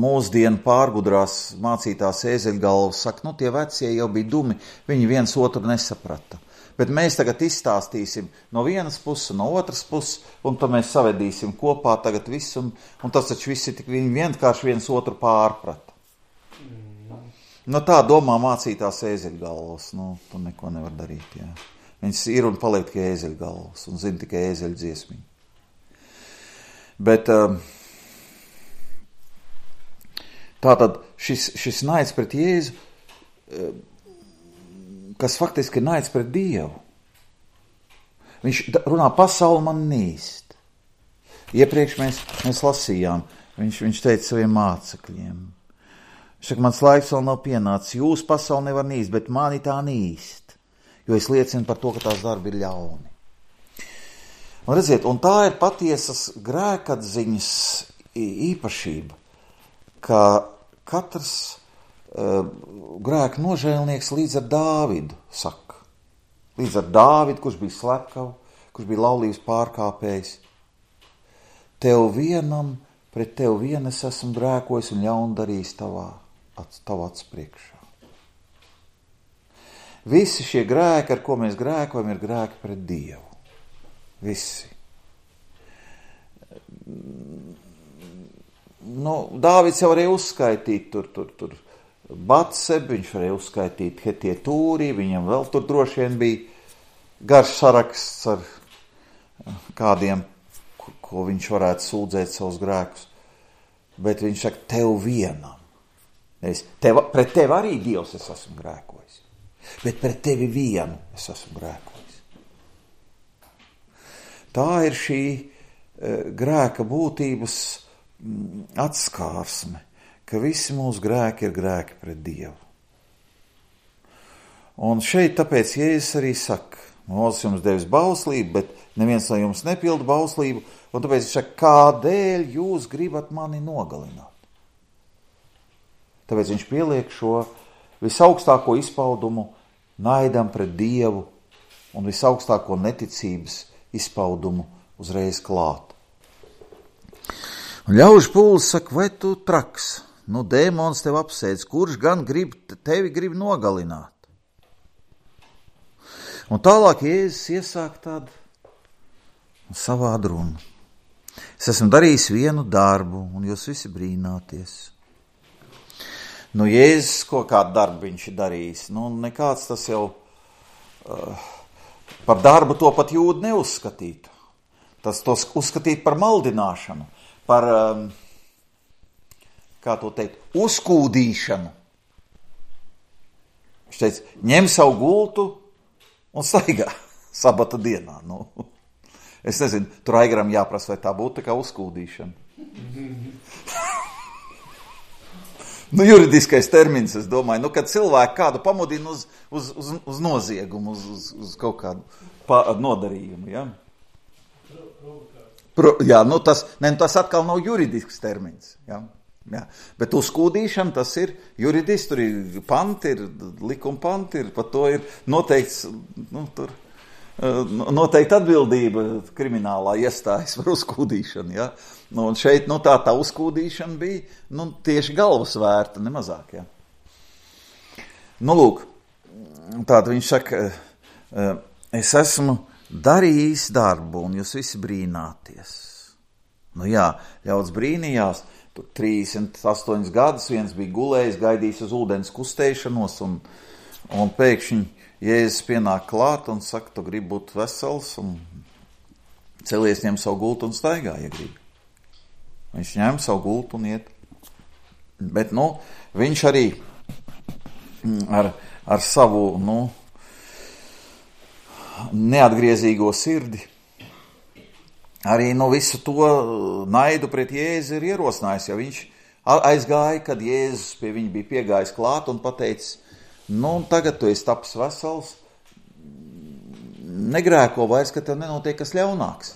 Speaker 1: mūsdienu pārgudrās mācītās ēzeļgalvas saka, nu, tie vecie jau bija dumi, viņi viens otru nesaprata. Bet mēs tagad izstāstīsim no vienas puses, no otras puses, un tad mēs savedīsim kopā tagad visu, un, un tas taču visi tik viņi vienkārši viens otru pārprata. No tā domā mācītās ēzeļgalvas, nu, tu neko nevar darīt, jā. Viņas ir un paliek tikai ēzeļgalvas, un zina tikai ēzeļu dziesmiņu. Bet uh, tātad šis, šis naids pret Jēzu, uh, kas faktiski ir naids pret Dievu. Viņš runā, pasauli man nīst. Iepriekš mēs, mēs lasījām, viņš, viņš teica saviem mācekļiem. Viņš saka, mans laiks vēl nav pienācis, jūs pasauli nevar nīst, bet mani tā nīst, jo es liecinu par to, ka tās darbi ir ļauni. Un redziet, un tā ir patiesas grēkatziņas īpašība, ka katrs uh, grēka nožēlnieks līdz ar Dāvidu saka. Līdz ar Dāvidu, kurš bija slepkavu, kurš bija laulības pārkāpējs. Tev vienam, pret tev vien es esmu grēkojis un ļaunu darījis tavā, tavā acu priekšā. Visi šie grēki, ar ko mēs grēkojam, ir grēki pret Dievu. Visi. Nu, Dāvids jau varēja uzskaitīt tur, tur, tur Batsebu, viņš varēja uzskaitīt Hetietūrī, viņam vēl tur droši vien bija garš saraksts ar kādiem, ko, ko viņš varētu sūdzēt savus grēkus. Bet viņš saka, tev vienam. Es, tev, pret tevi arī Dievs es esmu grēkojis. Bet pret tevi vienu es esmu grēkojis. Tā ir šī uh, grēka būtības mm, atskārsme, ka visi mūsu grēki ir grēki pret Dievu. Un šeit tāpēc Jēzus arī saka, Mūzes jums devis bauslību, bet neviens no jums nepilda bauslību, un tāpēc viņš saka, kādēļ jūs gribat mani nogalināt? Tāpēc viņš pieliek šo visaugstāko izpaudumu naidam pret Dievu un visaugstāko neticības izpaudumu uzreiz klāt. Un ļaužu pūlis saka, vai tu traks? Nu, dēmons tev apsēdz, kurš gan grib, tevi grib nogalināt? Un tālāk Jēzus iesāk tādu savādu runu. Es esmu darījis vienu darbu, un jūs visi brīnāties. Nu, Jēzus, ko kādu darbu viņš ir darījis? Nu, nekāds tas jau uh, par darbu to pat jūdi neuzskatītu. Tas tos uzskatīt par maldināšanu, par, um, kā to teikt, uzkūdīšanu. Viņš teica, ņem savu gultu un staigā sabata dienā. Nu, es nezinu, tur Aigaram jāprasa, vai tā būtu tā kā uzkūdīšana. Nu, juridiskais termins, es domāju, nu, kad cilvēku kādu pamudina uz, uz, uz, uz noziegumu, uz, uz, uz kaut kādu pa, nodarījumu, ja? Pro, jā, nu tas, ne, tas atkal nav juridisks termins, ja? Jā. Bet uzkūdīšana, tas ir juridiski, tur ir panti, ir likuma panti, ir par to ir noteikts, nu, tur, noteikti atbildība kriminālā iestājas par uzkūdīšanu, ja? Nu, un šeit, nu, tā, tā uzkūdīšana bija, nu, tieši galvas vērta, nemazāk, ja? Nu, lūk, tātad viņš saka, es esmu darījis darbu, un jūs visi brīnāties. Nu, jā, ļauds brīnījās, tur trīsdesmit astoņus gadus viens bija gulējis, gaidījis uz ūdens kustēšanos, un, un pēkšņi Jēzus pienāk klāt un saka, tu gribi būt vesels, un celies, ņem savu gultu un staigā, ja gribi. Viņš ņem savu gultu un iet. Bet, nu, viņš arī ar, ar savu, nu, neatgriezīgo sirdi arī no visu to naidu pret Jēzu ir ierosinājis, jo viņš aizgāja, kad Jēzus pie viņa bija piegājis klāt un pateicis, nu, tagad tu esi tapis vesels, negrēko vairs, ka tev nenotiek kas ļaunāks.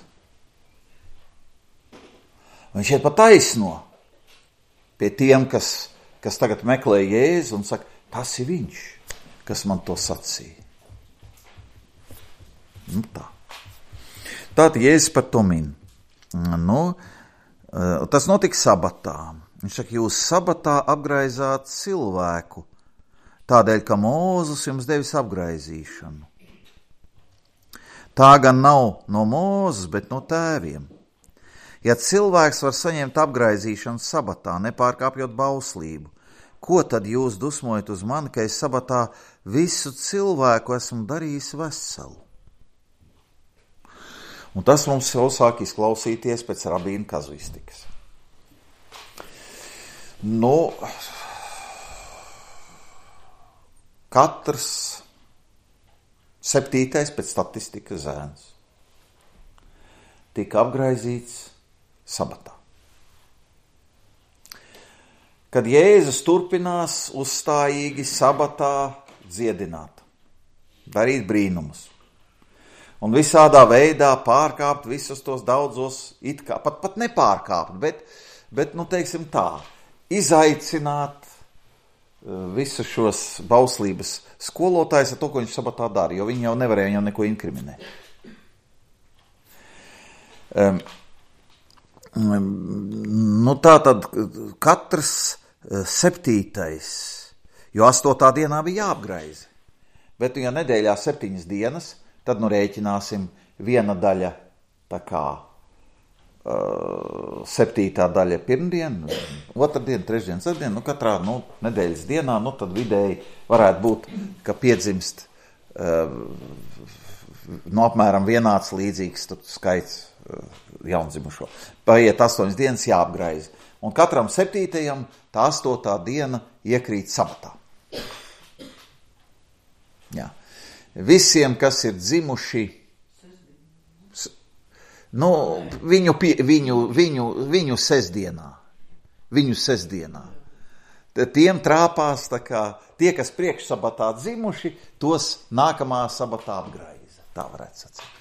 Speaker 1: Viņš iet pa taisno pie tiem, kas, kas tagad meklē Jēzu un saka, tas ir viņš, kas man to sacīja. Nu tā. Tātad Jēzus par to min. Nu, tas notika sabatā. Viņš saka, jūs sabatā apgraizāt cilvēku, tādēļ, ka Mūzes jums devis apgraizīšanu. Tā gan nav no Mūzes, bet no tēviem. Ja cilvēks var saņemt apgraizīšanu sabatā, nepārkāpjot bauslību, ko tad jūs dusmojat uz mani, ka es sabatā visu cilvēku esmu darījis veselu? Un tas mums jau sāk izklausīties pēc rabīna kazuistikas. Nu, katrs septītais pēc statistikas zēns tika apgraizīts sabatā. Kad Jēzus turpinās uzstājīgi sabatā dziedināt, darīt brīnumus, un visādā veidā pārkāpt visus tos daudzos, it kā, pat, pat nepārkāpt, bet, bet, nu, teiksim tā, izaicināt visus šos bauslības skolotājus ar to, ko viņš sabatā dara, jo viņi jau nevarēja jau neko inkriminēt. Um, nu, tā tad katrs septītais, jo astotā dienā bija jāapgraizi, bet, ja nedēļā septiņas dienas, tad nu rēķināsim viena daļa, tā kā uh, septītā daļa pirmdien, otrdien, trešdien, sestdien, nu katrā nu, nedēļas dienā, nu tad vidēji varētu būt, ka piedzimst uh, no apmēram vienāds līdzīgs skaits uh, jaundzimušo. Paiet astoņas dienas jāapgraiz. Un katram septītajam tā astotā diena iekrīt sabatā. Jā. Visiem, kas ir dzimuši, nu, viņu, viņu, viņu, viņu sestdienā, viņu sestdienā, tiem trāpās tā kā tie, kas priekš sabatā dzimuši, tos nākamā sabatā apgraiza. Tā varētu sacīt.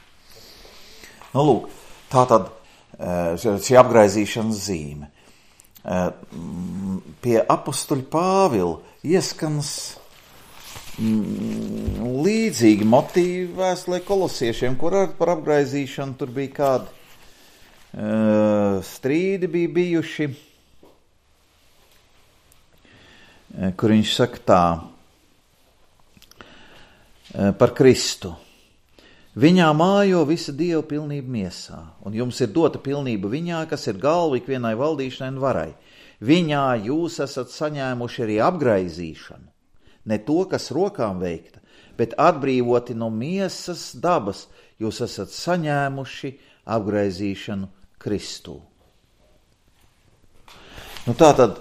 Speaker 1: Nu, lūk, tā tad šī apgraizīšanas zīme. Pie apustuļa Pāvila ieskans līdzīgi motīvi vēstulē kolosiešiem, kur ar par apgraizīšanu tur bija kādi uh, strīdi bija bijuši, kur viņš saka tā par Kristu. Viņā mājo visa Dieva pilnība miesā, un jums ir dota pilnība viņā, kas ir galva ikvienai valdīšanai un varai. Viņā jūs esat saņēmuši arī apgraizīšanu, ne to, kas rokām veikta, bet atbrīvoti no miesas dabas, jūs esat saņēmuši apgraizīšanu Kristū. Nu tā tad,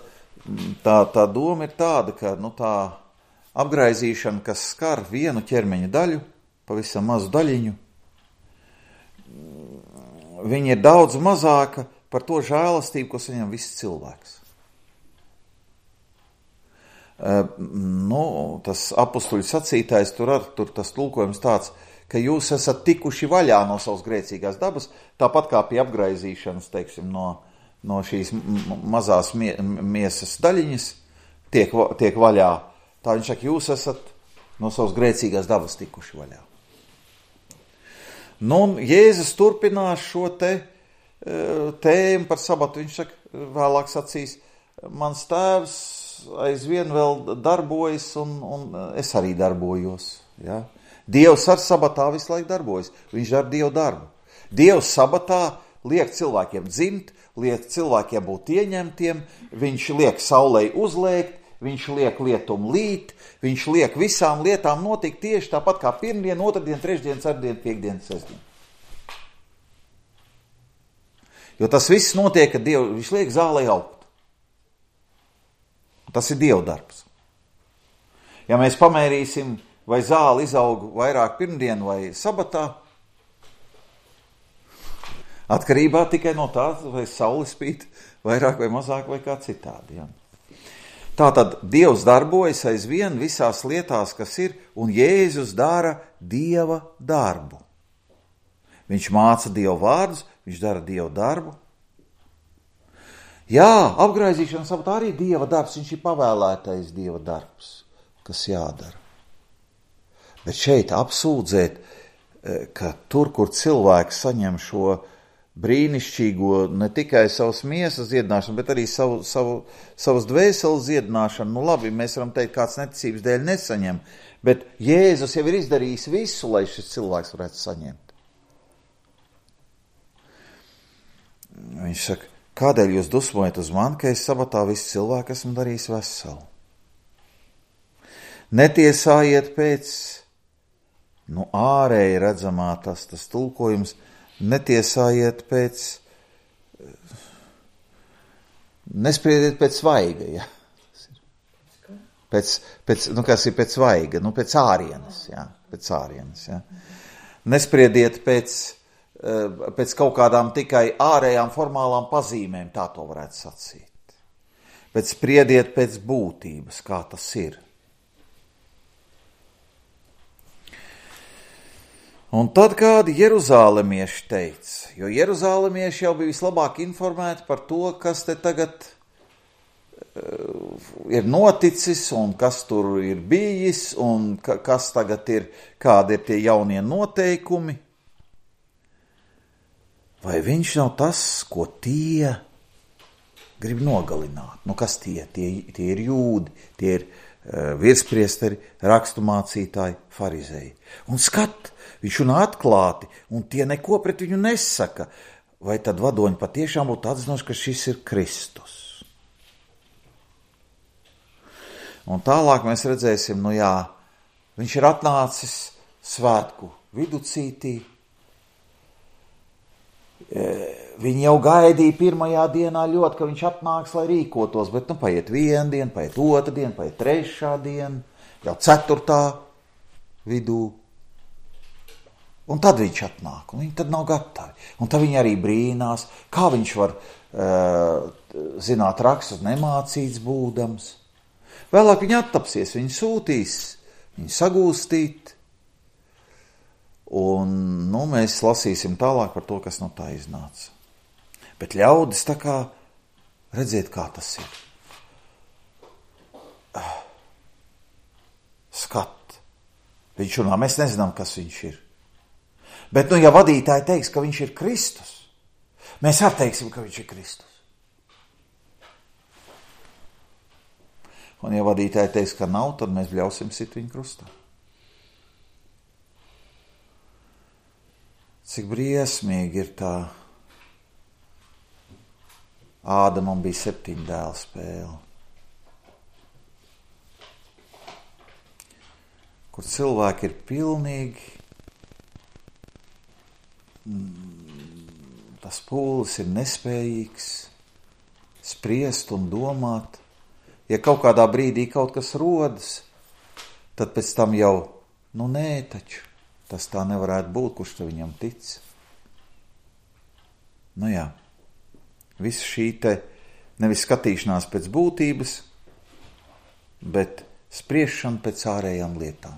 Speaker 1: tā, tā doma ir tāda, ka nu, tā apgraizīšana, kas skar vienu ķermeņa daļu, pavisam mazu daļiņu, viņa ir daudz mazāka par to žēlastību, ko saņem viss cilvēks. Uh, nu, tas apustuļu sacītājs tur ar, tur tas tulkojums tāds, ka jūs esat tikuši vaļā no savas grēcīgās dabas, tāpat kā pie apgraizīšanas, teiksim, no, no šīs mazās mie, miesas daļiņas tiek, tiek vaļā. Tā viņš saka, jūs esat no savas grēcīgās dabas tikuši vaļā. Nu, un Jēzus turpinās šo te tēmu par sabatu. Viņš saka, vēlāk sacīs, mans tēvs aizvien vēl darbojas, un, un es arī darbojos. Ja? Dievs ar sabatā visu laiku darbojas. Viņš dara Dievu darbu. Dievs sabatā liek cilvēkiem dzimt, liek cilvēkiem būt ieņemtiem, viņš liek saulei uzlēkt, viņš liek lietum līt, viņš liek visām lietām notikt tieši tāpat kā pirmdien, otrdien, trešdien, ceturtdien, piekdien, sestdien. Jo tas viss notiek, kad Diev, viņš liek zālei augt. Tas ir Dieva darbs. Ja mēs pamērīsim, vai zāle izaug vairāk pirmdien vai sabatā, atkarībā tikai no tā, vai saule spīd vairāk vai mazāk vai kā citādi. Ja? Tātad Dievs darbojas aizvien visās lietās, kas ir, un Jēzus dara Dieva darbu. Viņš māca Dieva vārdus, viņš dara Dieva darbu. Jā, apgraizīšana sabatā arī Dieva darbs, viņš ir pavēlētais Dieva darbs, kas jādara. Bet šeit apsūdzēt, ka tur, kur cilvēks saņem šo brīnišķīgo, ne tikai savas miesas dziedināšanu, bet arī savu, savu, savas dvēseles dziedināšanu. Nu labi, mēs varam teikt, kāds neticības dēļ nesaņem, bet Jēzus jau ir izdarījis visu, lai šis cilvēks varētu saņemt. Viņš saka, kādēļ jūs dusmojat uz mani, ka es sabatā visu cilvēku esmu darījis veselu? Netiesājiet pēc, nu ārēji redzamā tas, tas tulkojums, netiesājiet pēc, nespriediet pēc svaiga, ja? Pēc, pēc, nu kas ir pēc svaiga, nu pēc ārienes, ja? Pēc ārienes, ja? Nespriediet pēc, pēc kaut kādām tikai ārējām formālām pazīmēm, tā to varētu sacīt. Bet spriediet pēc būtības, kā tas ir. Un tad kādi jeruzālemieši teica, jo jeruzālemieši jau bija vislabāk informēti par to, kas te tagad uh, ir noticis un kas tur ir bijis un ka, kas tagad ir, kādi ir tie jaunie noteikumi. Vai viņš nav tas, ko tie grib nogalināt? Nu kas tie? Tie, tie ir jūdi, tie ir uh, virspriesteri, rakstumācītāji, farizēji. Un skat, viņš runā atklāti, un tie neko pret viņu nesaka. Vai tad vadoņi patiešām būtu atzinoši, ka šis ir Kristus? Un tālāk mēs redzēsim, nu jā, viņš ir atnācis svētku viducītī. Viņi jau gaidīja pirmajā dienā ļoti, ka viņš atnāks, lai rīkotos, bet nu paiet viena diena, paiet otra diena, paiet trešā diena, jau ceturtā vidū. Un tad viņš atnāk, un viņi tad nav gatavi. Un tad viņi arī brīnās, kā viņš var uh, zināt rakstus nemācīts būdams. Vēlāk viņi attapsies, viņi sūtīs, viņi sagūstīt. Un, nu, mēs lasīsim tālāk par to, kas no tā iznāca. Bet ļaudis tā kā, redziet, kā tas ir. Skat. Viņš runā, mēs nezinām, kas viņš ir. Bet, nu, ja vadītāji teiks, ka viņš ir Kristus, mēs arī teiksim, ka viņš ir Kristus. Un, ja vadītāji teiks, ka nav, tad mēs bļausim sit viņu krustā. Cik briesmīgi ir tā Ādamam bija septiņu dēlu spēle, kur cilvēki ir pilnīgi, tas pūlis ir nespējīgs spriest un domāt. Ja kaut kādā brīdī kaut kas rodas, tad pēc tam jau, nu nē, taču, tas tā nevarētu būt, kurš te viņam tic. Nu jā, viss šī te nevis skatīšanās pēc būtības, bet spriešana pēc ārējām lietām.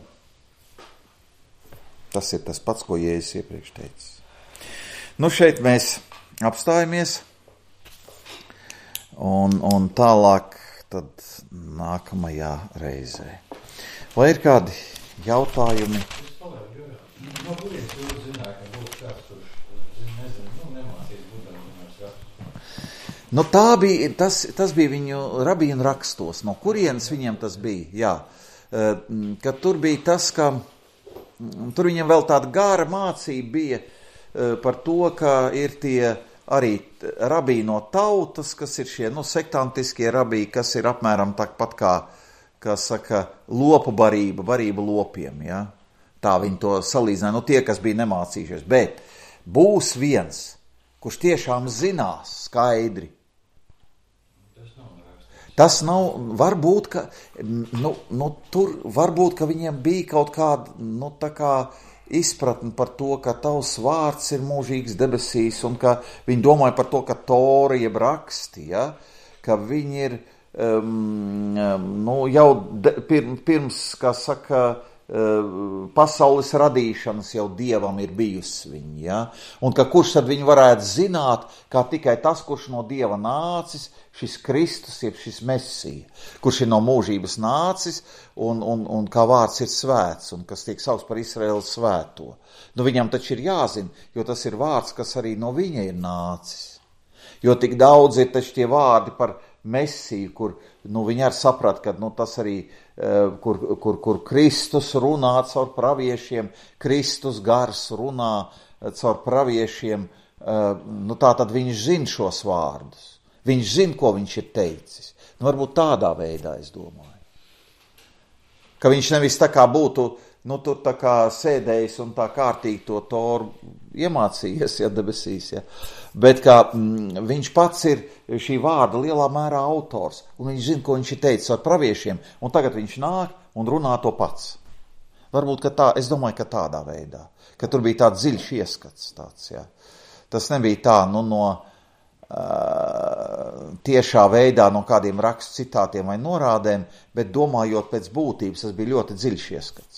Speaker 1: Tas ir tas pats, ko Jēzus iepriekš teicis. Nu šeit mēs apstājamies un, un tālāk tad nākamajā reizē. Vai ir kādi jautājumi?
Speaker 5: Es palēju, jo, no kurienes jūs zināja, ka būs kāds, kurš, nezinu, nu, nemācīs budamināts rakstus.
Speaker 1: Nu tā bija, tas, tas bija viņu rabīnu rakstos. No kurienes viņiem tas bija? Jā, ka tur bija tas, ka tur viņam vēl tāda gara mācība bija par to, ka ir tie arī rabī no tautas, kas ir šie, nu, sektantiskie rabī, kas ir apmēram tāpat kā, kā saka, lopu barība, barība lopiem, ja? Tā viņi to salīdzināja, nu, tie, kas bija nemācījušies, bet būs viens, kurš tiešām zinās skaidri. Tas nav, varbūt, ka, nu, nu, tur, varbūt, ka viņiem bija kaut kāda, nu, tā kā, izpratni par to, ka tavs vārds ir mūžīgs debesīs, un ka viņi domāja par to, ka Tora jeb raksti, ja? Ka viņi ir um, nu, jau de, pir, pirms, kā saka, uh, pasaules radīšanas jau Dievam ir bijusi viņi, ja? Un ka kurš tad viņi varētu zināt, kā tikai tas, kurš no Dieva nācis, šis Kristus, jeb šis Mesija, kurš ir no mūžības nācis un, un, un kā vārds ir svēts un kas tiek saukts par Izraēlu svēto. Nu, viņam taču ir jāzina, jo tas ir vārds, kas arī no viņa ir nācis. Jo tik daudz ir taču tie vārdi par Mesiju, kur nu, viņi arī saprat, ka nu, tas arī, uh, kur, kur, kur Kristus runā caur praviešiem, Kristus gars runā caur praviešiem, uh, nu, tā tad viņš zina šos vārdus. Viņš zina, ko viņš ir teicis. Nu, varbūt tādā veidā, es domāju. Ka viņš nevis tā kā būtu, nu, tur tā kā sēdējis un tā kārtīgi to Toru iemācījies, ja debesīs, ja. Bet kā mm, viņš pats ir šī vārda lielā mērā autors, un viņš zina, ko viņš ir teicis ar praviešiem, un tagad viņš nāk un runā to pats. Varbūt, ka tā, es domāju, ka tādā veidā, ka tur bija tāds dziļš ieskats tāds, ja. Tas nebija tā, nu, no Uh, tiešā veidā no kādiem rakstu citātiem vai norādēm, bet domājot pēc būtības, tas bija ļoti dziļš ieskats.